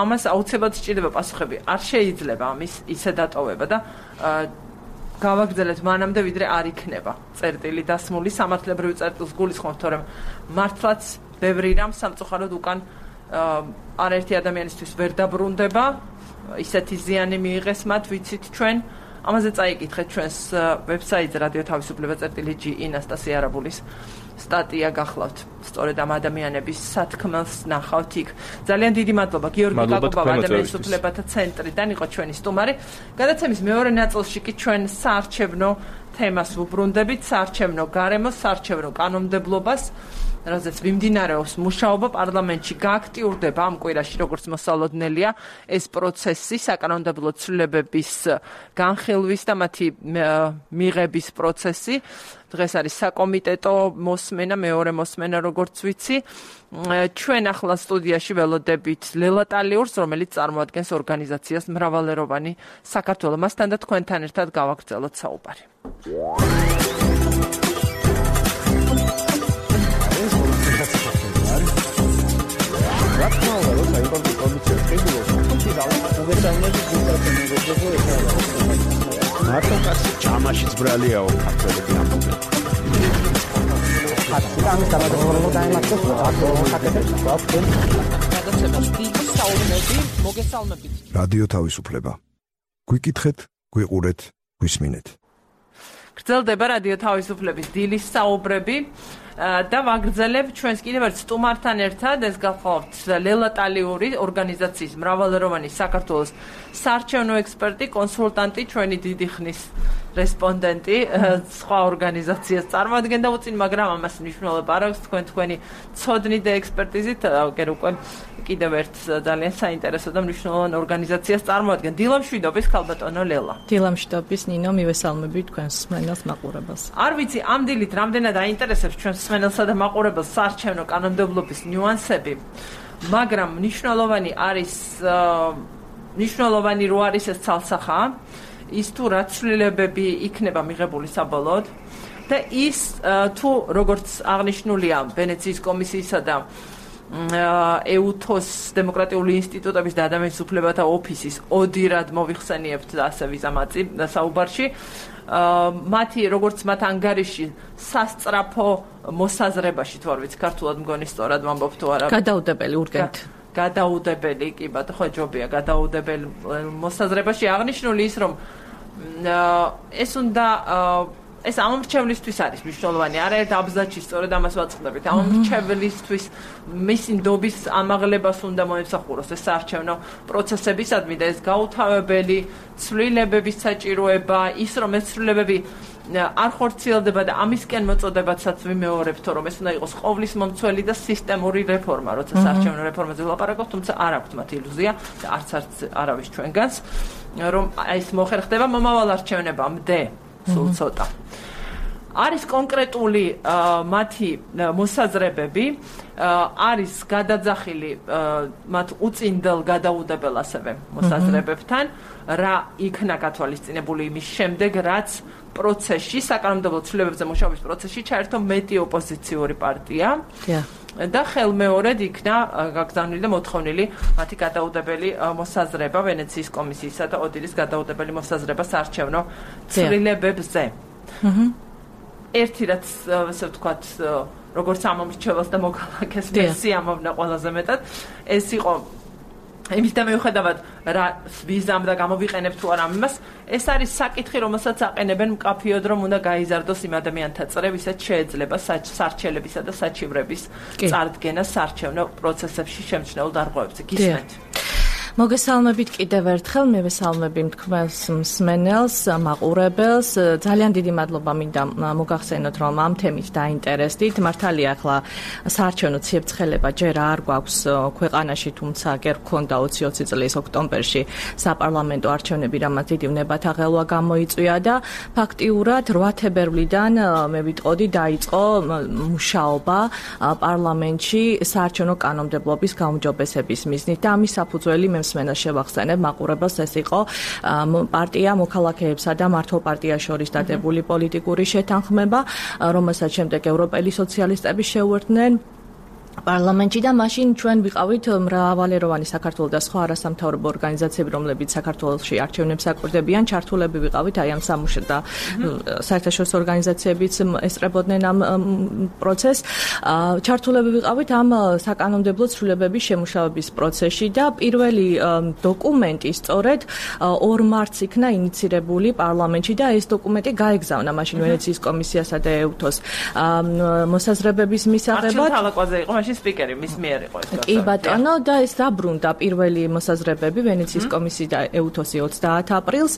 ამას აუცილებლად სჭირდება პასუხები. არ შეიძლება ამის ისე დატოვება და გავაგრძელეთ მანამდე ვიდრე არ იქნება წერტილი დასმული სამართლებრივი წერტილს გულისხმობთ, თორემ მართლაც ბევრი რამ სამწუხაროდ უკან არაერთი ადამიანისთვის ვერ დაბრუნდება, ისეთი ზიანი მიიღეს მათ, ვიცით ჩვენ. ამაზე წაიკითხეთ ჩვენს ვებსაიტზე რადიო თავისუფლება წერტილი.gi ინასტასია არაბულის სტატია გახლავთ. სწორედ ამ ადამიანების სათქმელს ნახავთ იქ. ძალიან დიდი მადლობა გიორგი კაკობავა ადამიანის უფლებათა ცენტრიდან იყო ჩვენი სტუმარი. გადაცემის მეორე ნაწილში კი ჩვენ საარჩევნო თემას ვუბრუნდებით, საარჩევნო გარემოს, საარჩევნო კანონმდებლობას, რაზეც მიმდინარეობს მუშაობა პარლამენტში გააქტიურდება ამ კვირაში, როგორც მოსალოდნელია ეს პროცესი, საკანონმდებლო ცვლილებების განხილვის და მათი მიღების პროცესი. დღეს არის საკომიტეტო მოსმენა, მეორე მოსმენა, როგორც ვიცი. ჩვენ ახლა სტუდიაში ველოდებით ლელა ტალიურს, რომელიც წარმოადგენს ორგანიზაციას მრავალეროვანი საქართველო. მასთან და თქვენთან ერთად გავაგრძელოთ საუბარი.
მარტო კაცი ჯამა მაშინ ბრალიაო ქართველები ამბობენ.
რადიო თავისუფლება. გვიკითხეთ, გვიყურეთ, გვისმინეთ.
გრძელდება რადიო თავისუფლების დილის საუბრები და ვაგრძელებ ჩვენს კიდევ ერთ სტუმართან ერთად ეს გახლავთ ლელა ტალიური ორგანიზაციის მრავალეროვანი საქართველოს საარჩევნო ექსპერტი, კონსულტანტი, ჩვენი დიდი ხნის რესპონდენტი სხვა ორგანიზაციას წარმოადგენდა უწინ, მაგრამ ამას მნიშვნელობა არ აქვს თქვენი ცოდნით და ექსპერტიზით აგერ უკვე კიდევ ერთ ძალიან საინტერესო და მნიშვნელოვან ორგანიზაციას წარმოადგენთ. დილამშვიდობის ქალბატონო ლელა.
დილამშვიდობის ნინო, მივესალმები თქვენს მსმენელს მაყურებელს.
არ ვიცი ამ დილით რამდენად აინტერესებს ჩვენს მსმენელსა და მაყურებელს საარჩევნო კანონმდებლობის ნიუანსები, მაგრამ მნიშვნელოვანი რო არის ეს ცალსახა, ის თუ რა ცვლილებები იქნება მიღებული საბოლოოდ და ის თუ როგორც აღნიშნულია ვენეციის კომისიისა და EUTOS დემოკრატიული ინსტიტუტების და ადამიანის უფლებათა ოფისის ოდირად მოვიხსენიებთ და ასე ვიზამაწი საუბარში მათი როგორც მათ ანგარიში სასწრაფო მოსაზრებაში თუ არ ვიცი ქართულად მგონი სწორად ვამბობ თუ არა
გადაუდებელი urgent
გადაუდებელი კი ბატონო ხო ჯობია გადაუდებელი მოსაზრებაში აღნიშნული ის რომ ეს უნდა ეს ამომრჩევლისთვის არის მნიშვნელოვანი. არაერთ აბზაჩში სწორედ ამას ვაწყდებით. ამომრჩევლისთვის მისი ნდობის ამაღლებას უნდა მოემსახუროს ეს საარჩევნო პროცესებისადმი და ეს გაუთავებელი ცვლილებების საჭიროება, ის რომ ეს ცვლილებები არ ხორციელდება და ამისკენ მოწოდებაცაც ვიმეორებთ, რომ ეს უნდა იყოს ყოვლის მომცველი და სისტემური რეფორმა, როცა საარჩევნო რეფორმაზე ვლაპარაკობთ, თუმცა არ აქვთ მათ ილუზია და არც არავის ჩვენგანს, რომ ეს მოხერხდება მომავალ არჩევნებამდე. სულ ცოტა. არის კონკრეტული მათი მოსაზრებები, არის გადაძახილი მათ უწინდელ გადაუდებელ ასევე მოსაზრებებთან, რა იქნა გათვალისწინებული იმის შემდეგ, რაც პროცესში, საკანონმდებლო ცვლილებებზე მუშაობის პროცესში ჩაერთო მეტი ოპოზიციური პარტია. და ხელმეორედ იქნა გაგზავნილი და მოთხოვნილი მათი გადაუდებელი მოსაზრება ვენეციის კომისიისა და ოდირის გადაუდებელი მოსაზრება საარჩევნო ცვლილებებზე. ერთი რაც ასე ვთქვათ, როგორც ამომრჩეველს და მოქალაქეს სიამოვნა ყველაზე მეტად, ეს იყო იმის და მიუხედავად რა ვიზამ და გამოვიყენებ თუ არა ამას, ეს არის საკითხი, რომელსაც აყენებენ მკაფიოდ, რომ უნდა გაიზარდოს იმ ადამიანთა წრე, ვისაც შეეძლება სარჩელებისა და საჩივრების წარდგენა საარჩევნო პროცესებში შემჩნეულ დარღვევებზე. გისმენთ?
მოგესალმებით კიდევ ერთხელ, მივესალმები თქვენს მსმენელს, მაყურებელს. ძალიან დიდი მადლობა მინდა მოგახსენოთ, რომ ამ თემით დაინტერესდით. მართალია, ახლა საარჩევნო ციებ-ცხელება ჯერ არ გვაქვს ქვეყანაში, თუმცა გერ გქონდა 2020 წლის ოქტომბერში საპარლამენტო არჩევნები, რამაც დიდი უნებათა ღელვა გამოიწვია და ფაქტიურად 8 თებერვლიდან მე ვიტყოდი დაიწყო მუშაობა პარლამენტში საარჩევნო კანონმდებლობის გაუმჯობესების მიზნით და ამის საფუძველი მსმენელს შევახსენებ, მაყურებელს ეს იყო პარტია მოქალაქეებსა და მართლ პარტიას შორის დადებული პოლიტიკური შეთანხმება, რომელსაც შემდეგ ევროპელი სოციალისტები შეუერთდნენ პარლამენტში და მაშინ ჩვენ ვიყავით მრავალეროვანი საქართველოს და სხვა არასამთავრობო ორგანიზაციები, რომლებიც საქართველოში არჩევნებს აკვირდებიან, ჩართულები ვიყავით აი ამ სამუშაო და საერთაშორისო ორგანიზაციებიც ესწრებოდნენ ამ პროცესს. ჩართულები ვიყავით ამ საკანონმდებლო ცვლილებების შემუშავების პროცესში და პირველი დოკუმენტი სწორედ 2 მარტს იქნა ინიცირებული პარლამენტში და ეს დოკუმენტი გაეგზავნა მაშინ ვენეციის კომისიასა და EUTOS მოსაზრებების მისაღებად.
სპიკერი მის მიერ იყო ეს.
კი ბატონო და ეს დაბრუნდა პირველი მოსაზრებები ვენეციის კომისიის და EUTOS-ი 30 აპრილს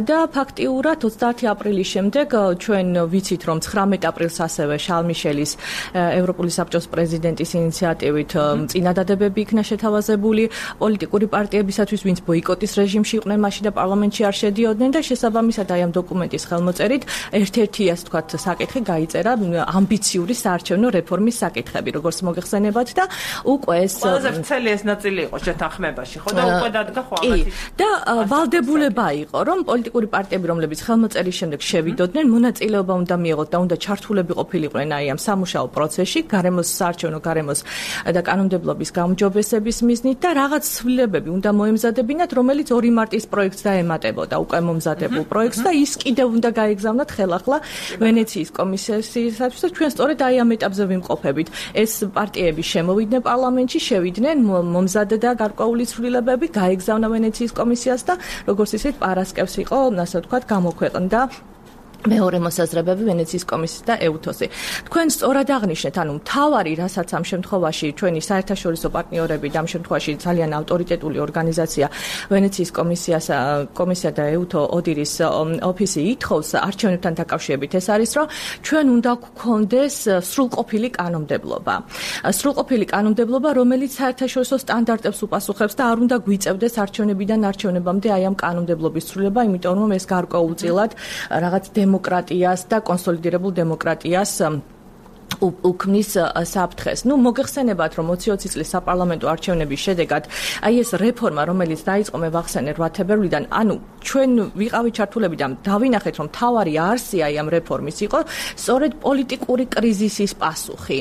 და ფაქტიურად 30 აპრილის შემდეგ ჩვენ ვიცით რომ 19 აპრილს ასევე შარლ მიშელის ევროპული საბჭოს პრეზიდენტის ინიციატივით წინადადებები იქნა შეთავაზებული პოლიტიკური პარტიებისათვის, ვინც ბოიკოტის რეჟიმში იყვნენ მაშინ და პარლამენტში არ შედიოდნენ და შესაბამისად აი ამ დოკუმენტის ხელმოწერით ერთ-ერთი ასე ვთქვათ საკითხი გაიწერა ამბიციური საარჩევნო რეფორმის საკითხები, როგორც მოგეხსენებათ და უკვე ეს
ყველაზე ვრცელი ეს ნაწილი იყო შეთანხმებაში, ხო და უკვე დადგა ხო ამათი.
და ვალდებულება იყო, რომ პოლიტიკური პარტიები, რომლებიც ხელმოწერის შემდეგ შევიდოდნენ, მონაწილეობა უნდა მიიღოთ და უნდა ჩართულები ყოფილიყვნენ აი ამ სამუშაო პროცესში, გარემოს საარჩევნო გარემოს და კანონმდებლობის გაუმჯობესების მიზნით და რაღაც ცვლილებები უნდა მოემზადებინათ, რომელიც 2 მარტის პროექტს დაემატებოდა უკვე მომზადებულ პროექტს და ის კიდევ უნდა გაეგზავნათ ხელახლა ვენეციის კომისიისათვის და ჩვენ სწორედ აი ამ ეტაპზე ვიმყოფებით. ეს პარტიები შემოვიდნენ პარლამენტში, შევიდნენ, მომზადდა გარკვეული ცვლილებები, გაეგზავნა ვენეციის კომისიას და როგორც ისეთ პარასკევს იყო, ასე ვთქვათ, გამოქვეყნდა მეორე მოსაზრებები ვენეციის კომისიის და ეუთოსი. თქვენ სწორად აღნიშნეთ, ანუ მთავარი, რასაც ამ შემთხვევაში ჩვენი საერთაშორისო პარტნიორები და ამ შემთხვევაში ძალიან ავტორიტეტული ორგანიზაცია ვენეციის კომისია და ეუთო ოდირის ოფისი ითხოვს არჩევნებთან დაკავშირებით, ეს არის, რომ ჩვენ უნდა გვქონდეს სრულყოფილი კანონმდებლობა. სრულყოფილი კანონმდებლობა, რომელიც საერთაშორისო სტანდარტებს უპასუხებს და არ უნდა გვიწევდეს არჩევნებიდან არჩევნებამდე აი ამ კანონმდებლობის ცვლილება, იმიტომ რომ ეს გარკვეულწილად რაღაც დემოკრატიას და კონსოლიდირებულ დემოკრატიას უქმნის საფრთხეს. მოგეხსენებათ, რომ 2020 წლის საპარლამენტო არჩევნების შედეგად აი ეს რეფორმა, რომელიც დაიწყო მე ვახსენე 8 თებერვლიდან, ანუ ჩვენ ვიყავით ჩართულები და დავინახეთ, რომ თავარი არსი აი ამ რეფორმის იყო სწორედ პოლიტიკური კრიზისის პასუხი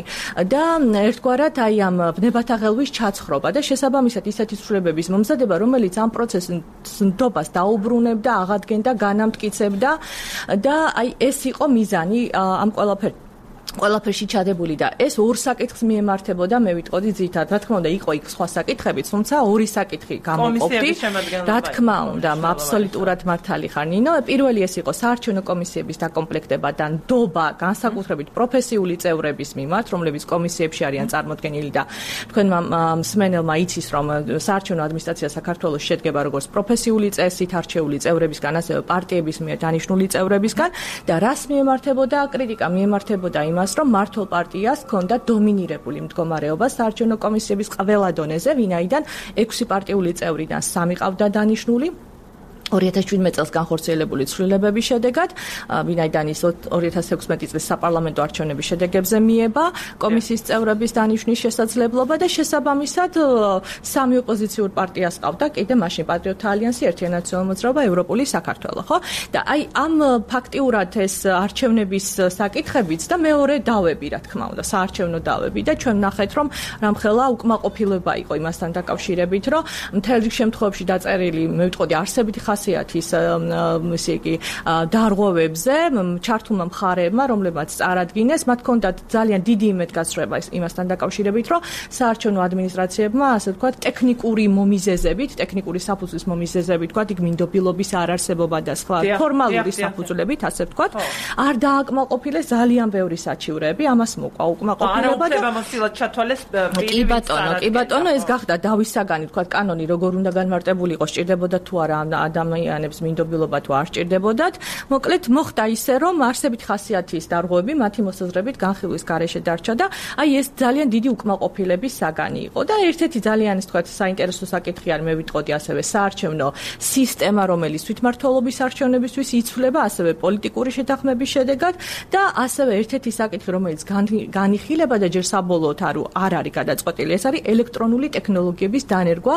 და ერთგვარად აი ამ ბნებათა ღელვის ჩაცხრობა და შესაბამისად ისეთი ცვლილებების მომზადება, რომელიც ამ პროცესს ნდობას დაუბრუნებდა, აღადგენდა, განამტკიცებდა და აი ეს იყო მიზანი ამ ყველაფერში ჩადებული და ეს ორ საკითხს მიემართებოდა, მე ვიტყოდი ძირითადად. რა თქმა უნდა, იყო იქ სხვა საკითხებიც, თუმცა ორი საკითხი გამოყოფდი. რა თქმა უნდა, აბსოლუტურად მართალი ხარ, ნინო. პირველი ეს იყო საარჩევნო კომისიების დაკომპლექტება და ნდობა განსაკუთრებით პროფესიული წევრების მიმართ, რომლებიც კომისიებში არიან წარმოდგენილი და თქვენმა მსმენელმა იცის, რომ საარჩევნო ადმინისტრაცია საქართველოს შედგება როგორც პროფესიული წესით არჩეული წევრებისგან, ასევე პარტიების მიერ დანიშნული წევრებისგან და რას მიემართებოდა კრიტიკა? მიემართებოდა იმას, რომ მართლ პარტიას ჰქონდა დომინირებული მდგომარეობა საარჩევნო კომისიების ყველა დონეზე, ვინაიდან 6 პარტიული წევრიდან 3 ყავდა დანიშნული 2017 წელს განხორციელებული ცვლილებების შედეგად, ვინაიდან ის 2016 წლის საპარლამენტო არჩევნების შედეგებზე მიება კომისიის წევრების დანიშვნის შესაძლებლობა და შესაბამისად 3 ოპოზიციურ პარტიას ყავდა კიდე მაშინ პატრიოტთა ალიანსი, ერთიანი ნაციონალური მოძრაობა, ევროპული საქართველო, ხო? და აი ამ ფაქტიურად ეს არჩევნების საკითხებიც და მეორე დავები, რა თქმა უნდა, საარჩევნო დავები და ჩვენ ვნახეთ, რომ რამხელა უკმაყოფილება იყო იმასთან დაკავშირებით, რომ მთელ რიგ შემთხვევებში დაწერილი, მე ვიტყოდი, არსებითი ხასიათის ისე იგი დარღვევებზე ჩართულმა მხარეებმა, რომლებმაც წარადგინეს, მათ ჰქონდათ ძალიან დიდი იმედგაცრუება იმასთან დაკავშირებით, რომ საარჩევნო ადმინისტრაციებმა, ასე ვთქვათ, ტექნიკური მომიზეზებით, ტექნიკური საფუძვლის მომიზეზებით, ვთქვათ, იქ მინდობილობის არარსებობა და სხვა ფორმალური საფუძვლებით, ასე ვთქვათ, არ დააკმაყოფილეს ძალიან ბევრი საჩივრები, ამას მოკვა უკმაყოფილება და
არაუფლებამოსილად ჩათვალეს
კი ბატონო, ეს გახდა დავის საგანი, ვთქვათ, კანონი როგორ უნდა განმარტებული იყოს, სჭირდებოდა თუ არა ადამიანებს მინდობილობა თუ არ სჭირდებოდათ. მოკლედ მოხდა ისე, რომ არსებით ხასიათის დარღვევები მათი მოსაზრებით განხილვის გარეშე დარჩა და აი ეს ძალიან დიდი უკმაყოფილების საგანი იყო და ერთ-ერთი ძალიან ის თქვათ საინტერესო საკითხი არის, მე ვიტყოდი ასევე საარჩევნო სისტემა, რომელიც თვითმმართველობის არჩევნებისთვის იცვლება, ასევე პოლიტიკური შეთანხმების შედეგად და ასევე ერთ-ერთი საკითხი, რომელიც განიხილება და ჯერ საბოლოოდ არ არის გადაწყვეტილი, ეს არის ელექტრონული ტექნოლოგიების დანერგვა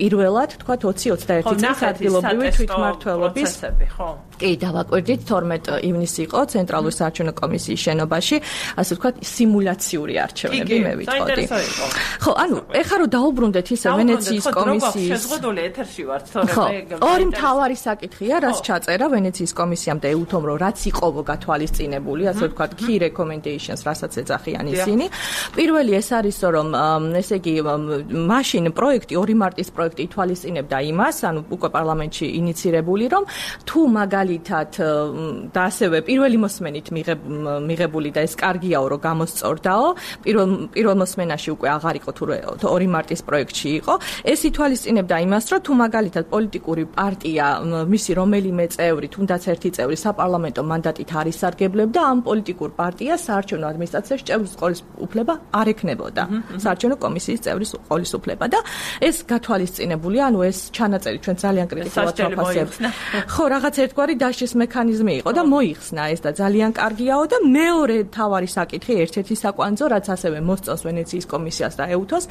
პირველად თქვათ 2021 წლის ადგილობრივი თვითმმართველობის
ხო?
კი, დავაკვირდით 12 ივნისი იყო ცენტრალური საარჩევნო კომისიის შენობაში, ასე ვთქვათ, სიმულაციური არჩევნები, მე ვიტყოდი. ხო, ანუ ეხლა რომ დაუბრუნდეთ ისე ვენეციის კომისიის
შეზღუდული ეთერში ვართ, თორემ
ორი მთავარი საკითხია, რაც ჩაწერა ვენეციის კომისიამ და ეუთომ, რომ რაც იყო გათვალისწინებული, ასე ვთქვათ, key recommendations, რასაც ეძახიან ისინი. პირველი ეს არის, რომ ესე იგი, მაშინ პროექტი 2 მარტის პროექტი ითვალისწინებდა იმას, ანუ უკვე პარლამენტში ინიცირებული, რომ თუ მაგალითად და ასევე პირველი მოსმენით მიღებული და ეს კარგიაო, რომ გამოსწორდაო, პირველ მოსმენაში უკვე აღარ იყო თუ 2 მარტის პროექტში იყო, ეს ითვალისწინებდა იმას, რომ თუ მაგალითად პოლიტიკური პარტია, მისი რომელიმე წევრი, თუნდაც ერთი წევრი საპარლამენტო მანდატით არ ისარგებლებდა, ამ პოლიტიკურ პარტიას საარჩევნო ადმინისტრაციაში წევრის ყოლის უფლება არ ექნებოდა. საარჩევნო კომისიის წევრის ყოლის უფლება და ეს გათვალისწინებულია, ანუ ეს ჩანაწერი ჩვენ ძალიან კრიტიკულად ვაფასებთ. ხო, რაღაც ერთგვარი დაშლის მექანიზმი იყო და მოიხსნა ეს და ძალიან კარგიაო და მეორე თავარი საკითხი ერთ-ერთი საკვანძო, რაც ასევე მოსწონს ვენეციის კომისიას და ეუთოს,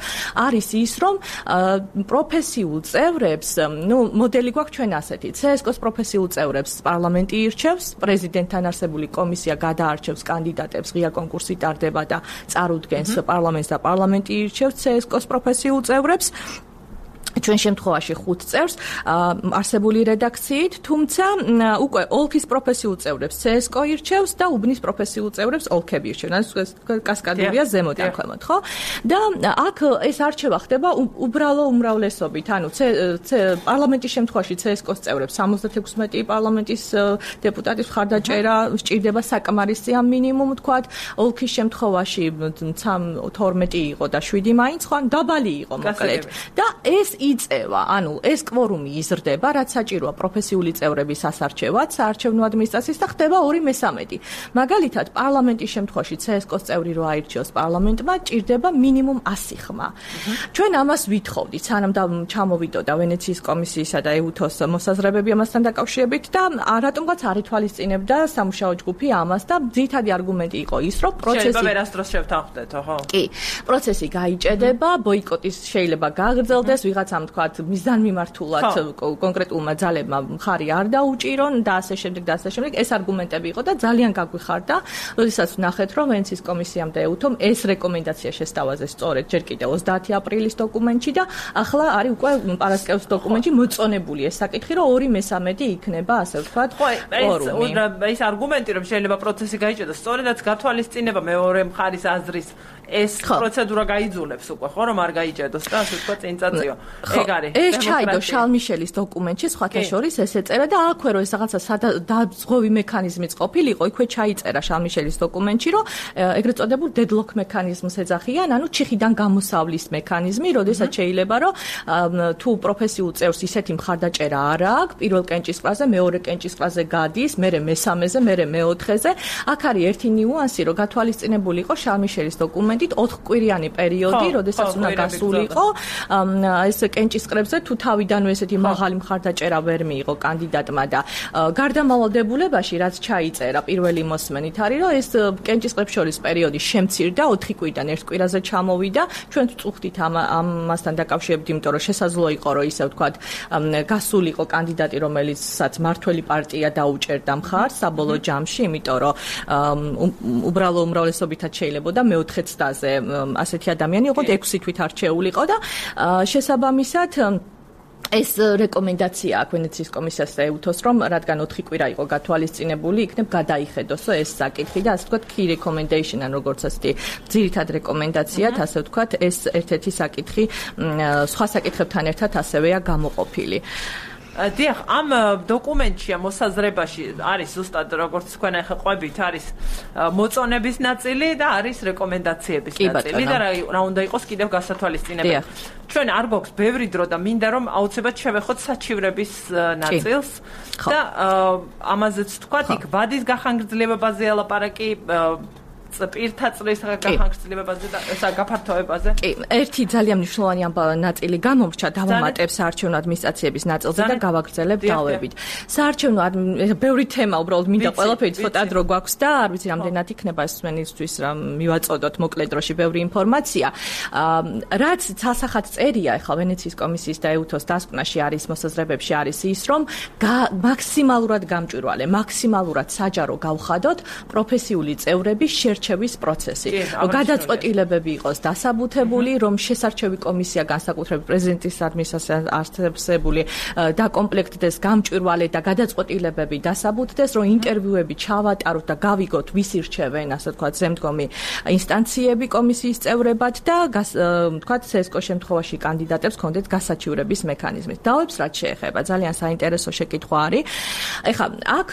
არის ის, რომ პროფესიულ წევრებს, მოდელი გვაქვს ჩვენ ასეთი, CSKO-ს პროფესიულ წევრებს პარლამენტი ირჩევს, პრეზიდენტთან არსებული კომისია გადაარჩევს კანდიდატებს, ღია კონკურსი ტარდება და წარუდგენს პარლამენტს და პარლამენტი ირჩევს CSKO-ს პროფესიულ წევრებს. ჩვენ შემთხვევაში 5 წევრს არსებული რედაქციით, თუმცა უკვე ოლქის პროფესიულ წევრებს CSKO ირჩევს და უბნის პროფესიულ წევრებს ოლქები ირჩევენ. ეს კასკადურია ზემოდან ქვემოთ, ხო? და აქ ეს არჩევა ხდება უბრალო უმრავლესობით, ანუ პარლამენტის შემთხვევაში CSKO-ს წევრებს 76 პარლამენტის დეპუტატის მხარდაჭერა სჭირდება საკმარისი ამ მინიმუმ თქვათ, ოლქის შემთხვევაში 12 იყო და 7 მაინც ხო, დაბალი იყო მოკლედ. და ეს იწევა, ანუ ეს კვორუმი იზრდება, რაც საჭიროა პროფესიული წევრების ასარჩევად, საარჩევნო ადმინისტრაციის და ხდება 2/3. მაგალითად, პარლამენტის შემთხვევაში CSKO-ს წევრი რო აირჩიოს პარლამენტმა, ჭირდება მინიმუმ 100 ხმა. ჩვენ ამას ვითხოვდით, სანამ ჩამოვიდოდა ვენეციის კომისიისა და ეუთოს მოსაზრებები ამასთან დაკავშირებით და რატომღაც არ ითვალისწინებდა სამუშაო ჯგუფი ამას და ძირითადი არგუმენტი იყო ის, რომ პროცესი
შეიძლება ვერასდროს შევთანხმდეთ, ხო?
კი, პროცესი გაიჭედება, ბოიკოტის შეიძლება გაგრძელდეს, ვიღაცამ თქვათ მიზანმიმართულად კონკრეტულმა ძალებმა მხარი არ დაუჭირონ და ასე შემდეგ და ასე შემდეგ. ეს არგუმენტები იყო და ძალიან გაგვიხარდა, როდესაც ვნახეთ, რომ ვენეციის კომისიამ და ეუთომ ეს რეკომენდაცია შესთავაზეს სწორედ ჯერ კიდევ 30 აპრილის დოკუმენტში და ახლა არის უკვე პარასკევის დოკუმენტში მოწონებული ეს საკითხი, რომ 2/3 იქნება, ასე ვთქვათ,
კვორუმი. ეს არგუმენტი, რომ შეიძლება პროცესი გაიჭედოს, სწორედაც გათვალისწინება მეორე მხარის აზრის ეს პროცედურა გაიძულებს უკვე, ხო, რომ არ გაიჭედოს და ასე ვთქვათ წინ წაწიო. ეგ არის.
ეს ჩაიდო შალმიშელის დოკუმენტში, სხვათა შორის ეს ეწერა და აქვე რომ ეს რაღაცა დაზღვევი მექანიზმიც ყოფილიყო, იქვე ჩაიწერა შალმიშელის დოკუმენტში, რომ ეგრეთ წოდებულ დედლოკ მექანიზმს ეძახიან, ანუ ჩიხიდან გამოსავლის მექანიზმი, როდესაც შეიძლება რომ თუ პროფესიულ წევრს ისეთი მხარდაჭერა არ აქვს, პირველ კენჭისყრაზე, მეორე კენჭისყრაზე გადის, მერე მესამეზე, მერე მეოთხეზე. აქ არის ერთი ნიუანსი, რომ გათვალისწინებული იყო შალმიშელის დოკუმენტით 4 კვირიანი პერიოდი, როდესაც უნდა გასულიყო ეს კენჭისყრებზე თუ თავიდანვე ესეთი მაღალი მხარდაჭერა ვერ მიიღო კანდიდატმა და გარდამავალდებულებაში რაც ჩაიწერა პირველი მოსმენით არის რომ ეს კენჭისყრებს შორის პერიოდი შემცირდა 4 კვირიდან 1 კვირაზე ჩამოვიდა ჩვენ ვწუხდით ამასთან დაკავშირებით იმიტომ რომ შესაძლოა იყო რომ ისე ვთქვათ გასულიყო კანდიდატი რომელიცაც მართველი პარტია დაუჭერდა მხარს საბოლოო ჯამში იმიტომ რომ უბრალო უმრავლესობითაც შეიძლება და მეოთხე ცდაზე ასეთი ადამიანი იყო 6 თვით არჩეულიყო და შესაბამისად ეს რეკომენდაცია აქვს ვენეციის კომისიას და ეუთოს რომ რადგან 4 კვირა იყო გათვალისწინებული იქნებ გადაიხედოსო ეს საკითხი და ასე ვთქვათ key recommendation ან როგორც ასეთი ძირითად რეკომენდაციად ასე ვთქვათ ეს ერთ-ერთი საკითხი სხვა საკითხებთან ერთად ასევეა გამოყოფილი
დიახ, ამ დოკუმენტში, ამ მოსაზრებაში არის ზუსტად როგორც თქვენ ახლა ყვებით, არის მოწონების ნაწილი და არის რეკომენდაციების ნაწილი და რა უნდა იყოს კიდევ გასათვალისწინებელი. ჩვენ არ გვაქვს ბევრი დრო და მინდა რომ აუცილებლად შევეხოთ საჩივრების ნაწილს და ამაზეც თქვათ, იქ ვადის გახანგრძლივებაზე ალაპარაკი პირთა წრის გახანგრძლივებაზე და გაფართოებაზე.
კი, ერთი ძალიან მნიშვნელოვანი ნაწილი გამომრჩა დავამატებს საარჩევნო ადმინისტრაციების ნაწილზე და გავაგრძელებ დავებით. საარჩევნო ბევრი თემა უბრალოდ მინდა ყველაფერი ცოტა დრო გვაქვს და არ ვიცი რამდენად იქნება ეს მსმენელისთვის რა მივაწოდოთ მოკლედ დროში ბევრი ინფორმაცია. რაც სასახად წერია ახლა ვენეციის კომისიის და ეუთოს დასკვნაში არის მოსაზრებებში არის ის რომ მაქსიმალურად გამჭვირვალე, მაქსიმალურად საჯარო გავხადოთ პროფესიული წევრების შერჩევის პროცესი. გადაწყვეტილებები იყოს დასაბუთებული, რომ შესარჩევი კომისია განსაკუთრებით პრეზიდენტის ადმინისტრაციას არსებული დაკომპლექტდეს გამჭვირვალე და გადაწყვეტილებები დასაბუთდეს, რომ ინტერვიუები ჩავატაროთ და გავიგოთ ვის ირჩევენ, ასე ვთქვათ, ზემდგომი ინსტანციები კომისიის წევრებად და ვთქვათ, CSKO შემთხვევაში კანდიდატებს ქონდეთ გასაჩივრების მექანიზმი. დავებს რაც შეეხება, ძალიან საინტერესო შეკითხვა არის. ეხლა აქ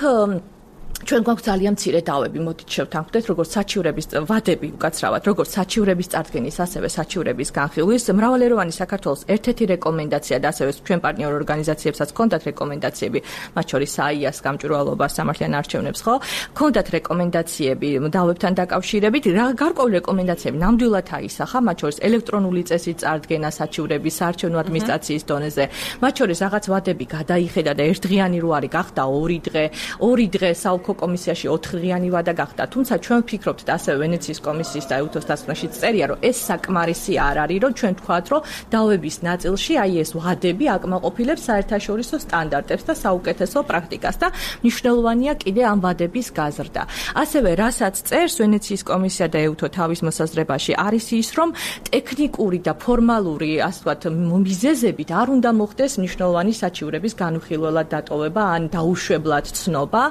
ჩვენ გვაქვს ძალიან მცირე დავები, მოდით შევთანხმდეთ, როგორც საჩივრების ვადები უკაცრავად, როგორც საჩივრების წარდგენის, ასევე საჩივრების განხილვის. მრავალეროვანი საქართველოს ერთ-ერთი რეკომენდაცია და ასევე ჩვენ პარტნიორ ორგანიზაციებსაც ჰქონდათ რეკომენდაციები, მათ შორის საიას გამჭვირვალობას, სამართლიან არჩევნებს, ხო? ჰქონდათ რეკომენდაციები დავებთან დაკავშირებით, გარკვეული რეკომენდაციები ნამდვილად აისახა, მათ შორის ელექტრონული წესის წარდგენა საჩივრების საარჩევნო ადმინისტრაციის დონეზე, მათ შორის რაღაც ვადები გადაიხედა და ერთდღიანი რო არის გახდა 2 დღე, 2 დღე საოლქო კომისიაში 4 დღიანი ვადა გახდა. თუმცა ჩვენ ვფიქრობთ და ასევე ვენეციის კომისიის და ეუთოს დასკვნაშიც წერია, რომ ეს საკმარისი არ არის, რომ ჩვენ თქვათ, რომ დავების ნაწილში აი ეს ვადები აკმაყოფილებს საერთაშორისო სტანდარტებს და საუკეთესო პრაქტიკას და მნიშვნელოვანია კიდე ამ ვადების გაზრდა. ასევე რასაც წერს ვენეციის კომისია და ეუთო თავის მოსაზრებაში არის ის, რომ ტექნიკური და ფორმალური, ასე ვთქვათ, მიზეზებით არ უნდა მოხდეს მნიშვნელოვანი საჩივრების განუხილველად დატოვება ან დაუშვებლად ცნობა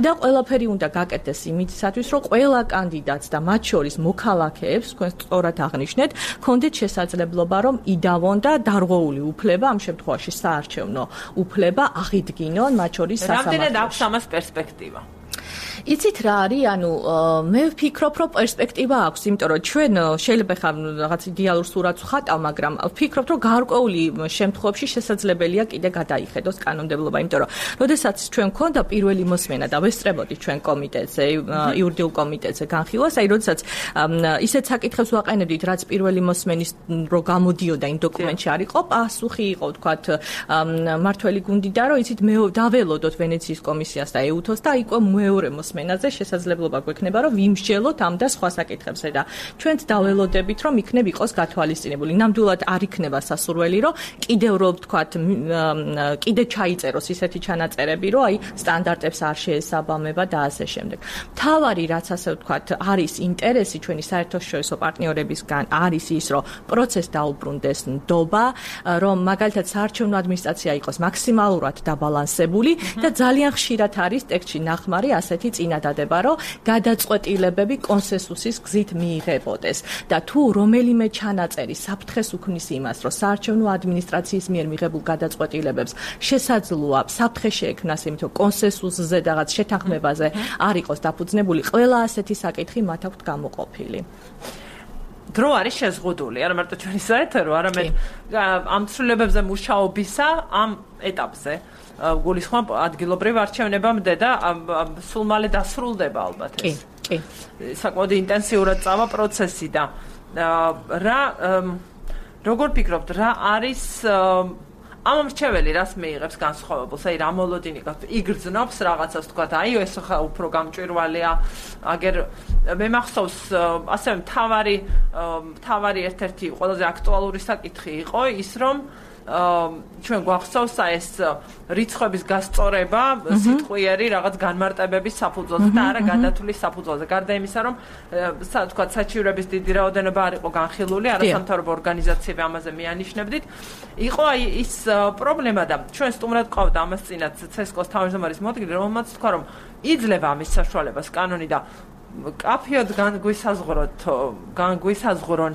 და ყველაფერი უნდა გაკეთდეს იმისათვის, რომ ყველა კანდიდატს და მათ შორის მოქალაქეებს, თქვენ სწორად აღნიშნეთ, ქონდეთ შესაძლებლობა, რომ იდავონ და დარღვეული უფლება, ამ შემთხვევაში საარჩევნო უფლება აღიდგინონ მათ შორის სასამართლოში.
რამდენად აქვს ამას პერსპექტივა?
იცით რა არის, ანუ მე ვფიქრობ, რომ პერსპექტივა აქვს, იმიტომ რომ ჩვენ შეიძლება ხა რაღაც იდეალურ სურათს ვხატავ, მაგრამ ვფიქრობ, რომ გარკვეული შემთხვევებში შესაძლებელია კიდე გადაიხედოს კანონმდებლობა, იმიტომ რომ როდესაც ჩვენ გქონდა პირველი მოსმენა და ვესწრებოდით ჩვენ კომიტეტზე, იურიდიულ კომიტეტზე განხილვას, აი როდესაც ისეთ საკითხებს ვაყენებდით, რაც პირველი მოსმენის რო გამოდიოდა იმ დოკუმენტში არ იყო, პასუხი იყო, თქვათ, მართველი გუნდი და რომ იცით მე დაველოდოთ ვენეციის კომისიას და ეუთოს და იყო მეორე მოსმენაზე შესაძლებლობა გვექნება, რომ ვიმსჯელოთ ამ და სხვა საკითხებზე და ჩვენც დაველოდებით, რომ იქნებ იყოს გათვალისწინებული. ნამდვილად არ იქნება სასურველი, რომ კიდევ რო ვთქვათ, კიდე ჩაიწეროს ისეთი ჩანაწერები, რომ აი სტანდარტებს არ შეესაბამება და ასე შემდეგ. თავარი რაც ასე ვთქვათ, არის ინტერესი ჩვენი საერთაშორისო პარტნიორებისგან არის ის, რომ პროცესს დაუბრუნდეს ნდობა, რომ მაგალითად საარჩევნო ადმინისტრაცია იყოს მაქსიმალურად დაბალანსებული და ძალიან ხშირად არის ტექსტში ნახმარი ასეთი წინადადება, რომ გადაწყვეტილებები კონსენსუსის გზით მიიღებოდეს და თუ რომელიმე ჩანაწერი საფრთხეს უქმნის იმას, რომ საარჩევნო ადმინისტრაციის მიერ მიღებულ გადაწყვეტილებებს შესაძლოა საფრთხე შეექმნას, იმიტომ რომ კონსენსუსზე და რაღაც შეთანხმებაზე არ იყოს დაფუძნებული, ყველა ასეთი საკითხი მათ აქვთ გამოყოფილი.
დრო არის შეზღუდული, არა მარტო ჩვენი საეთერო, არამედ ამ ცვლილებებზე მუშაობისა ამ ეტაპზე. გულისხმობ ადგილობრივ არჩევნებამდე და სულ მალე დასრულდება ალბათ ეს.
კი.
საკმაოდ ინტენსიურად წავა პროცესი და რა როგორ ფიქრობთ, რა არის ამ მრჩეველი რას მეიღებს განსხვავებულს, აი რა მოლოდინი გაქვს, იგრძნობს რაღაცას თქვა, აი ეს ხა უფრო გამჭვირვალეა, აგერ მე მახსოვს ასევე მთავარი ერთ-ერთი ყველაზე აქტუალური საკითხი იყო ის, რომ ჩვენ გვახსოვს ეს რიცხვების გასწორება სიტყვიერი რაღაც განმარტებების საფუძველზე და არა გადათვლის საფუძველზე. გარდა იმისა, რომ თქვა საჩივრების დიდი რაოდენობა არ იყო განხილული, არასამთავრობო ორგანიზაციები ამაზე მიანიშნებდით. იყო აი ის პრობლემა და ჩვენ სტუმრად ყავდა ამას წინათ CSKO-ს თავმჯდომარის მოადგილე, რომელმაც თქვა, რომ იძლევა ამის საშუალებას კანონი და კაფეოდ განგვისაზღვრონ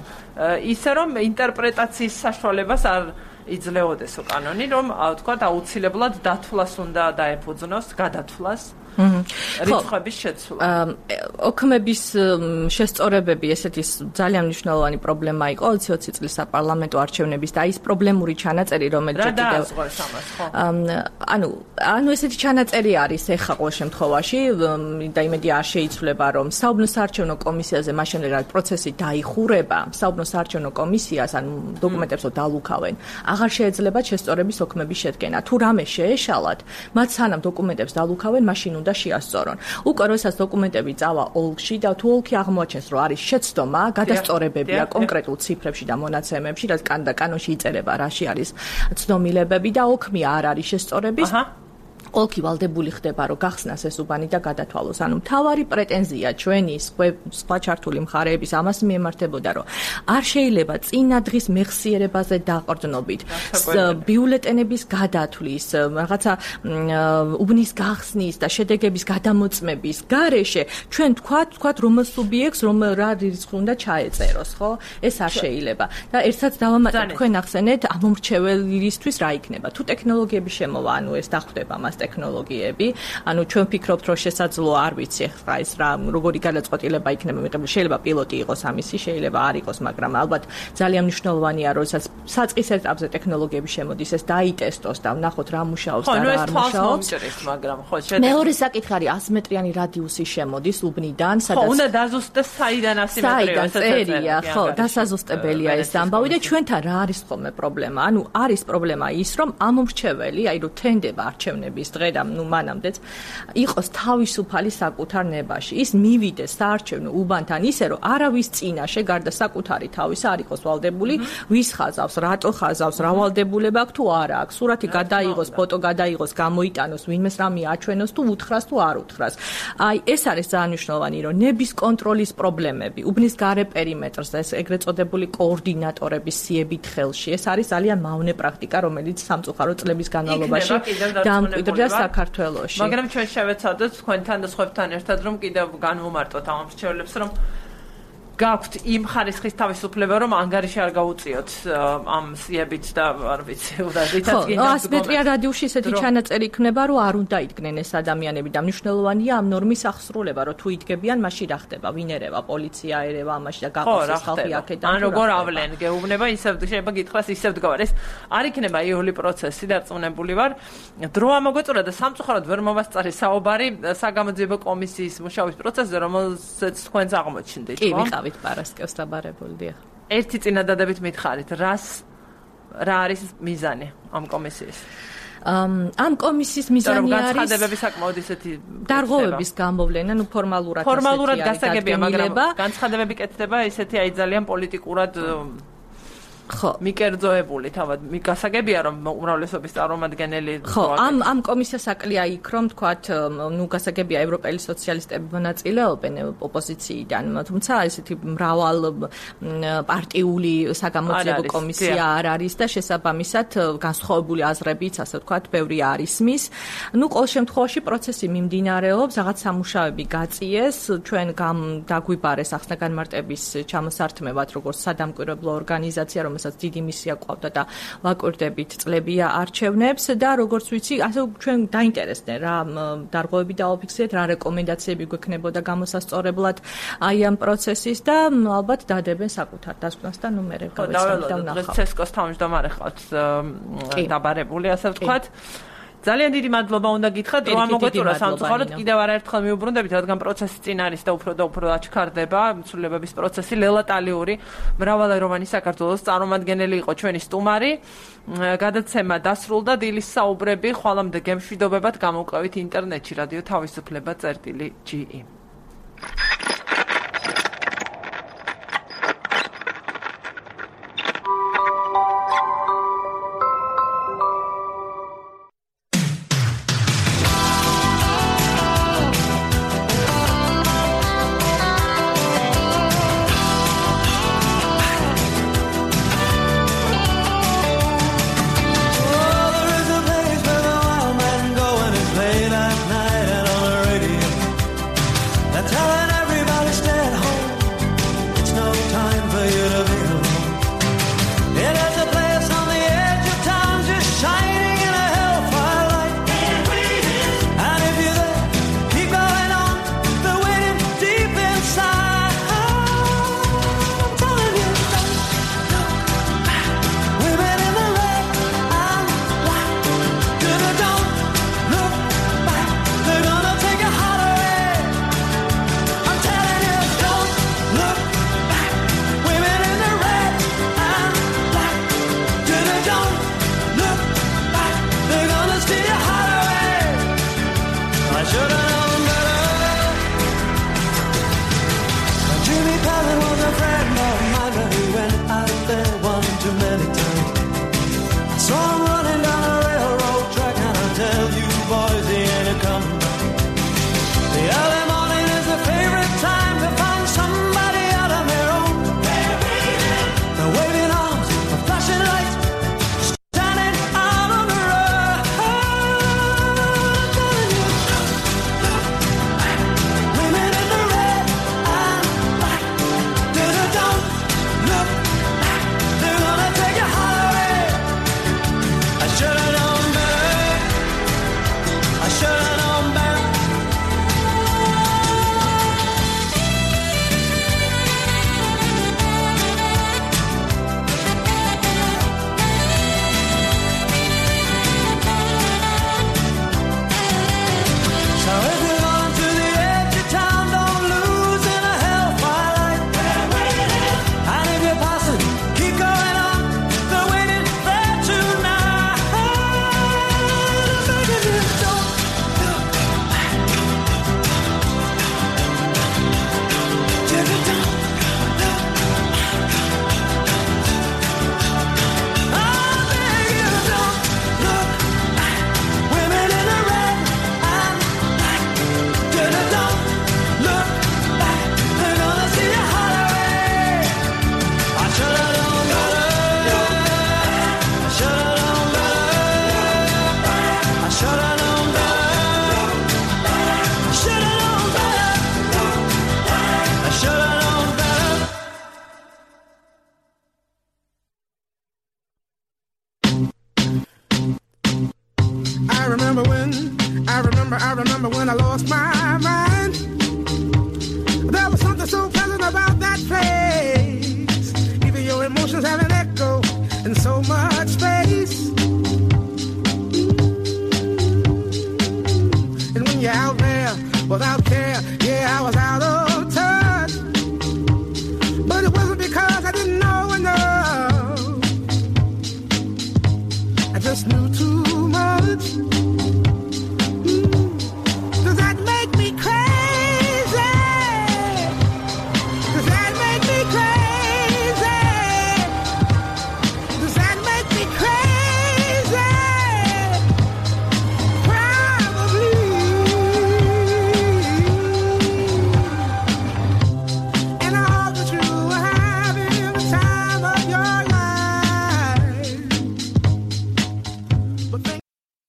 ისე რომ ინტერპრეტაციის საშუალებას არ იძლეოდესო კანონი, რომ თქვა აუცილებლად დათვლას უნდა დაეფუძნოს, გადათვლას. რიცხვების შეცვლა.
ოქმების შესწორებები ესეთი ძალიან მნიშვნელოვანი პრობლემა იყო 20 წლის საპარლამენტო არჩევნების და ის პრობლემური ჩანაწერი, რომელიც
კიდევ
ანუ ესეთი ჩანაწერი არის ეხლა ყოველ შემთხვევაში და იმედი არ შეიცვლება, რომ საუბნო საარჩევნო კომისიაზე მაშინ რა პროცესი დაიხურება, საუბნო საარჩევნო კომისიას ან დოკუმენტებს დალუქავენ. აღარ შეეძლება შესწორების ოქმების შედგენა. თუ რამე შეეშალათ, მათ სანამ დოკუმენტებს დალუქავენ, მაშინ უნდა შეასწორონ. უკვე როდესაც დოკუმენტები წავა ოლქში და თუ ოლქი აღმოაჩენს, რომ არის შეცდომა, გადასწორებებია კონკრეტულ ციფრებში და მონაცემებში, რაც კანონში იწერება, რაში არის ცდომილებები და ოქმი არ არის შესწორების. ოლქი ვალდებული ხდება, რომ გახსნას ეს უბანი და გადათვალოს. ანუ მთავარი პრეტენზია ჩვენი სხვა ჩართული მხარეების ამას მიემართებოდა, რომ არ შეიძლება წინა დღის მეხსიერებაზე დაყრდნობით, ბიულეტენების გადათვლის, რაღაცა უბნის გახსნის და შედეგების გადამოწმების გარეშე ჩვენ თქვათ რომელ სუბიექტს რა რიცხვი უნდა ჩაეწეროს, ხო? ეს არ შეიძლება. და ერთსაც დავამატებ, თქვენ ახსენეთ, ამ მომრჩეველისთვის რა იქნება? თუ ტექნოლოგიები შემოვა, ანუ ეს დახვდება ამას ტექნოლოგიები. ანუ ჩვენ ვფიქრობთ, რომ შესაძლოა არ ვიცი ახლა ეს რა როგორი გადაწყვეტილება იქნება მიღებული. შეიძლება პილოტი იყოს ამისი, შეიძლება არ იყოს, მაგრამ ალბათ ძალიან მნიშვნელოვანია, როდესაც საწყის ეტაპზე ტექნოლოგიები შემოდის, ეს დაიტესტოს და ვნახოთ რა მუშაობს და რა არ მუშაობს.
მაგრამ ხო,
მეორე საკითხი არის 100 მეტრიანი რადიუსი შემოდის უბნიდან, სადაც
ხო, უნდა დაზუსტდეს საიდან 100 მეტრია,
წერია, ხო, დასაზუსტებელია ეს ამბავი და ჩვენთან რა არის ხოლმე პრობლემა? ანუ არის პრობლემა ის, რომ ამომრჩეველი, აი რომ თენდება არჩევნების დღე და მანამდეც იყოს თავისუფალი საკუთარ ნებაში. ის მივიდეს საარჩევნო უბანთან ისე, რომ არავის წინაშე გარდა საკუთარი თავისა არ იყოს ვალდებული, ვის ხაზავს, რატო ხაზავს, რა ვალდებულება აქვს თუ არა აქვს. სურათი გადაიღოს, ფოტო გადაიღოს, გამოიტანოს, ვინმეს რამე აჩვენოს თუ უთხრას თუ არ უთხრას. აი ეს არის ძალიან მნიშვნელოვანი, რომ ნების კონტროლის პრობლემები, უბნის გარე პერიმეტრს და ეს ეგრეთ წოდებული კოორდინატორების სიებით ხელში. ეს არის ძალიან მავნე პრაქტიკა, რომელიც სამწუხარო წლების განმავლობაში დამკვიდრდა საქართველოში.
მაგრამ ჩვენ შევეცადოთ თქვენთან და სხვებთან ერთად, რომ კიდევ განვუმარტოთ ამ მრჩეველებს, რომ გაქვთ იმ ხარისხის თავისუფლება, რომ ანგარიში არ გაუწიოთ ამ სიებით და არ ვიცი, უდაზითაც
გინდა. ხო, 100 მეტრიან რადიუსში ესეთი ჩანაწერი იქნება, რომ არ უნდა იდგნენ ეს ადამიანები და მნიშვნელოვანია ამ ნორმის აღსრულება, რომ თუ იდგებიან, მაშინ რა ხდება? ვინ ერევა? პოლიცია ერევა ამაში და გაყოს ხალხი აქედან.
ან როგორ ავლენ? გეუბნება, ისევ შეიძლება გითხრას, ისევ დგავარ. ეს არ იქნება იოლი პროცესი, დარწმუნებული ვარ. დრო ამოგვეწურა და სამწუხაროდ ვერ მოვასწარი საუბარი საგამოძიებო კომისიის მუშაობის პროცესზე, რომელზეც თქვენს აღმოჩნდით,
ხო? კი, ვიყავით პარასკევს დაბარებულდია.
ერთი წინადადებით მითხარით, რა არის მიზანი ამ კომისიის?
ამ კომისიის მიზანი არის
განცხადებები საკმაოდ ისეთი
დარღვევების გამოვლენა, ნუ ფორმალურად
გასაგებია, მაგრამ განცხადებები კეთდება ისეთი აი ძალიან პოლიტიკურად ხო, მიკერძოებული თავად გასაგებია, რომ უმრავლესობის წარმომადგენელი
ხო, ამ კომისიას აკლია იქ, რომ თქვათ, ნუ გასაგებია ევროპელი სოციალისტები მონაწილეობენ ოპოზიციიდან, თუმცა ესეთი მრავალ პარტიული საგამოძიებო კომისია არ არის და შესაბამისად განსხვავებული აზრებიც, ასე ვთქვათ, ბევრი არის მის. ნუ ყოველ შემთხვევაში პროცესი მიმდინარეობს, რაღაც სამუშაოები გაწიეს, ჩვენ დაგვიბარეს ახსნა-განმარტების ჩამოსართმევად, როგორც სადამკვირვებლო ორგანიზაცია, რომელსაც დიდი მისია ყავდა და ვაკვირდებით წლებია არჩევნებს და როგორც ვიცი, ასე ჩვენ დაინტერესდნენ რა დარღვევები დააფიქსირეთ, რა რეკომენდაციები გვექნებოდა გამოსასწორებლად აი ამ პროცესის და ალბათ დადებენ საკუთარ დასკვნას და ნუ მერე გავეცადეთ და ვნახავთ.
ცესკოს თავმჯდომარე ხავთ დაბარებული, ასე ვთქვათ. ძალიან დიდი მადლობა უნდა გითხრათ, რომ ამოგვეწურა სამწუხაროდ კიდევ არაერთხელ მიუბრუნდებით, რადგან პროცესი წინ არის და უფრო აჩქარდება, ცვლილებების პროცესი. ლელა ტალიური, მრავალეროვანი საქართველოს წარმომადგენელი იყო ჩვენი სტუმარი. გადაცემა დასრულდა, დილის საუბრები ხვალამდე გემშვიდობებად გამოვყევით ინტერნეტში რადიო თავისუფლება.ge.
remember when I lost my mind. There was something so pleasant about that place. Even your emotions have an echo in so much space. And when you're out there without care, yeah, I was out of touch. But it wasn't because I didn't know enough. I just knew too much.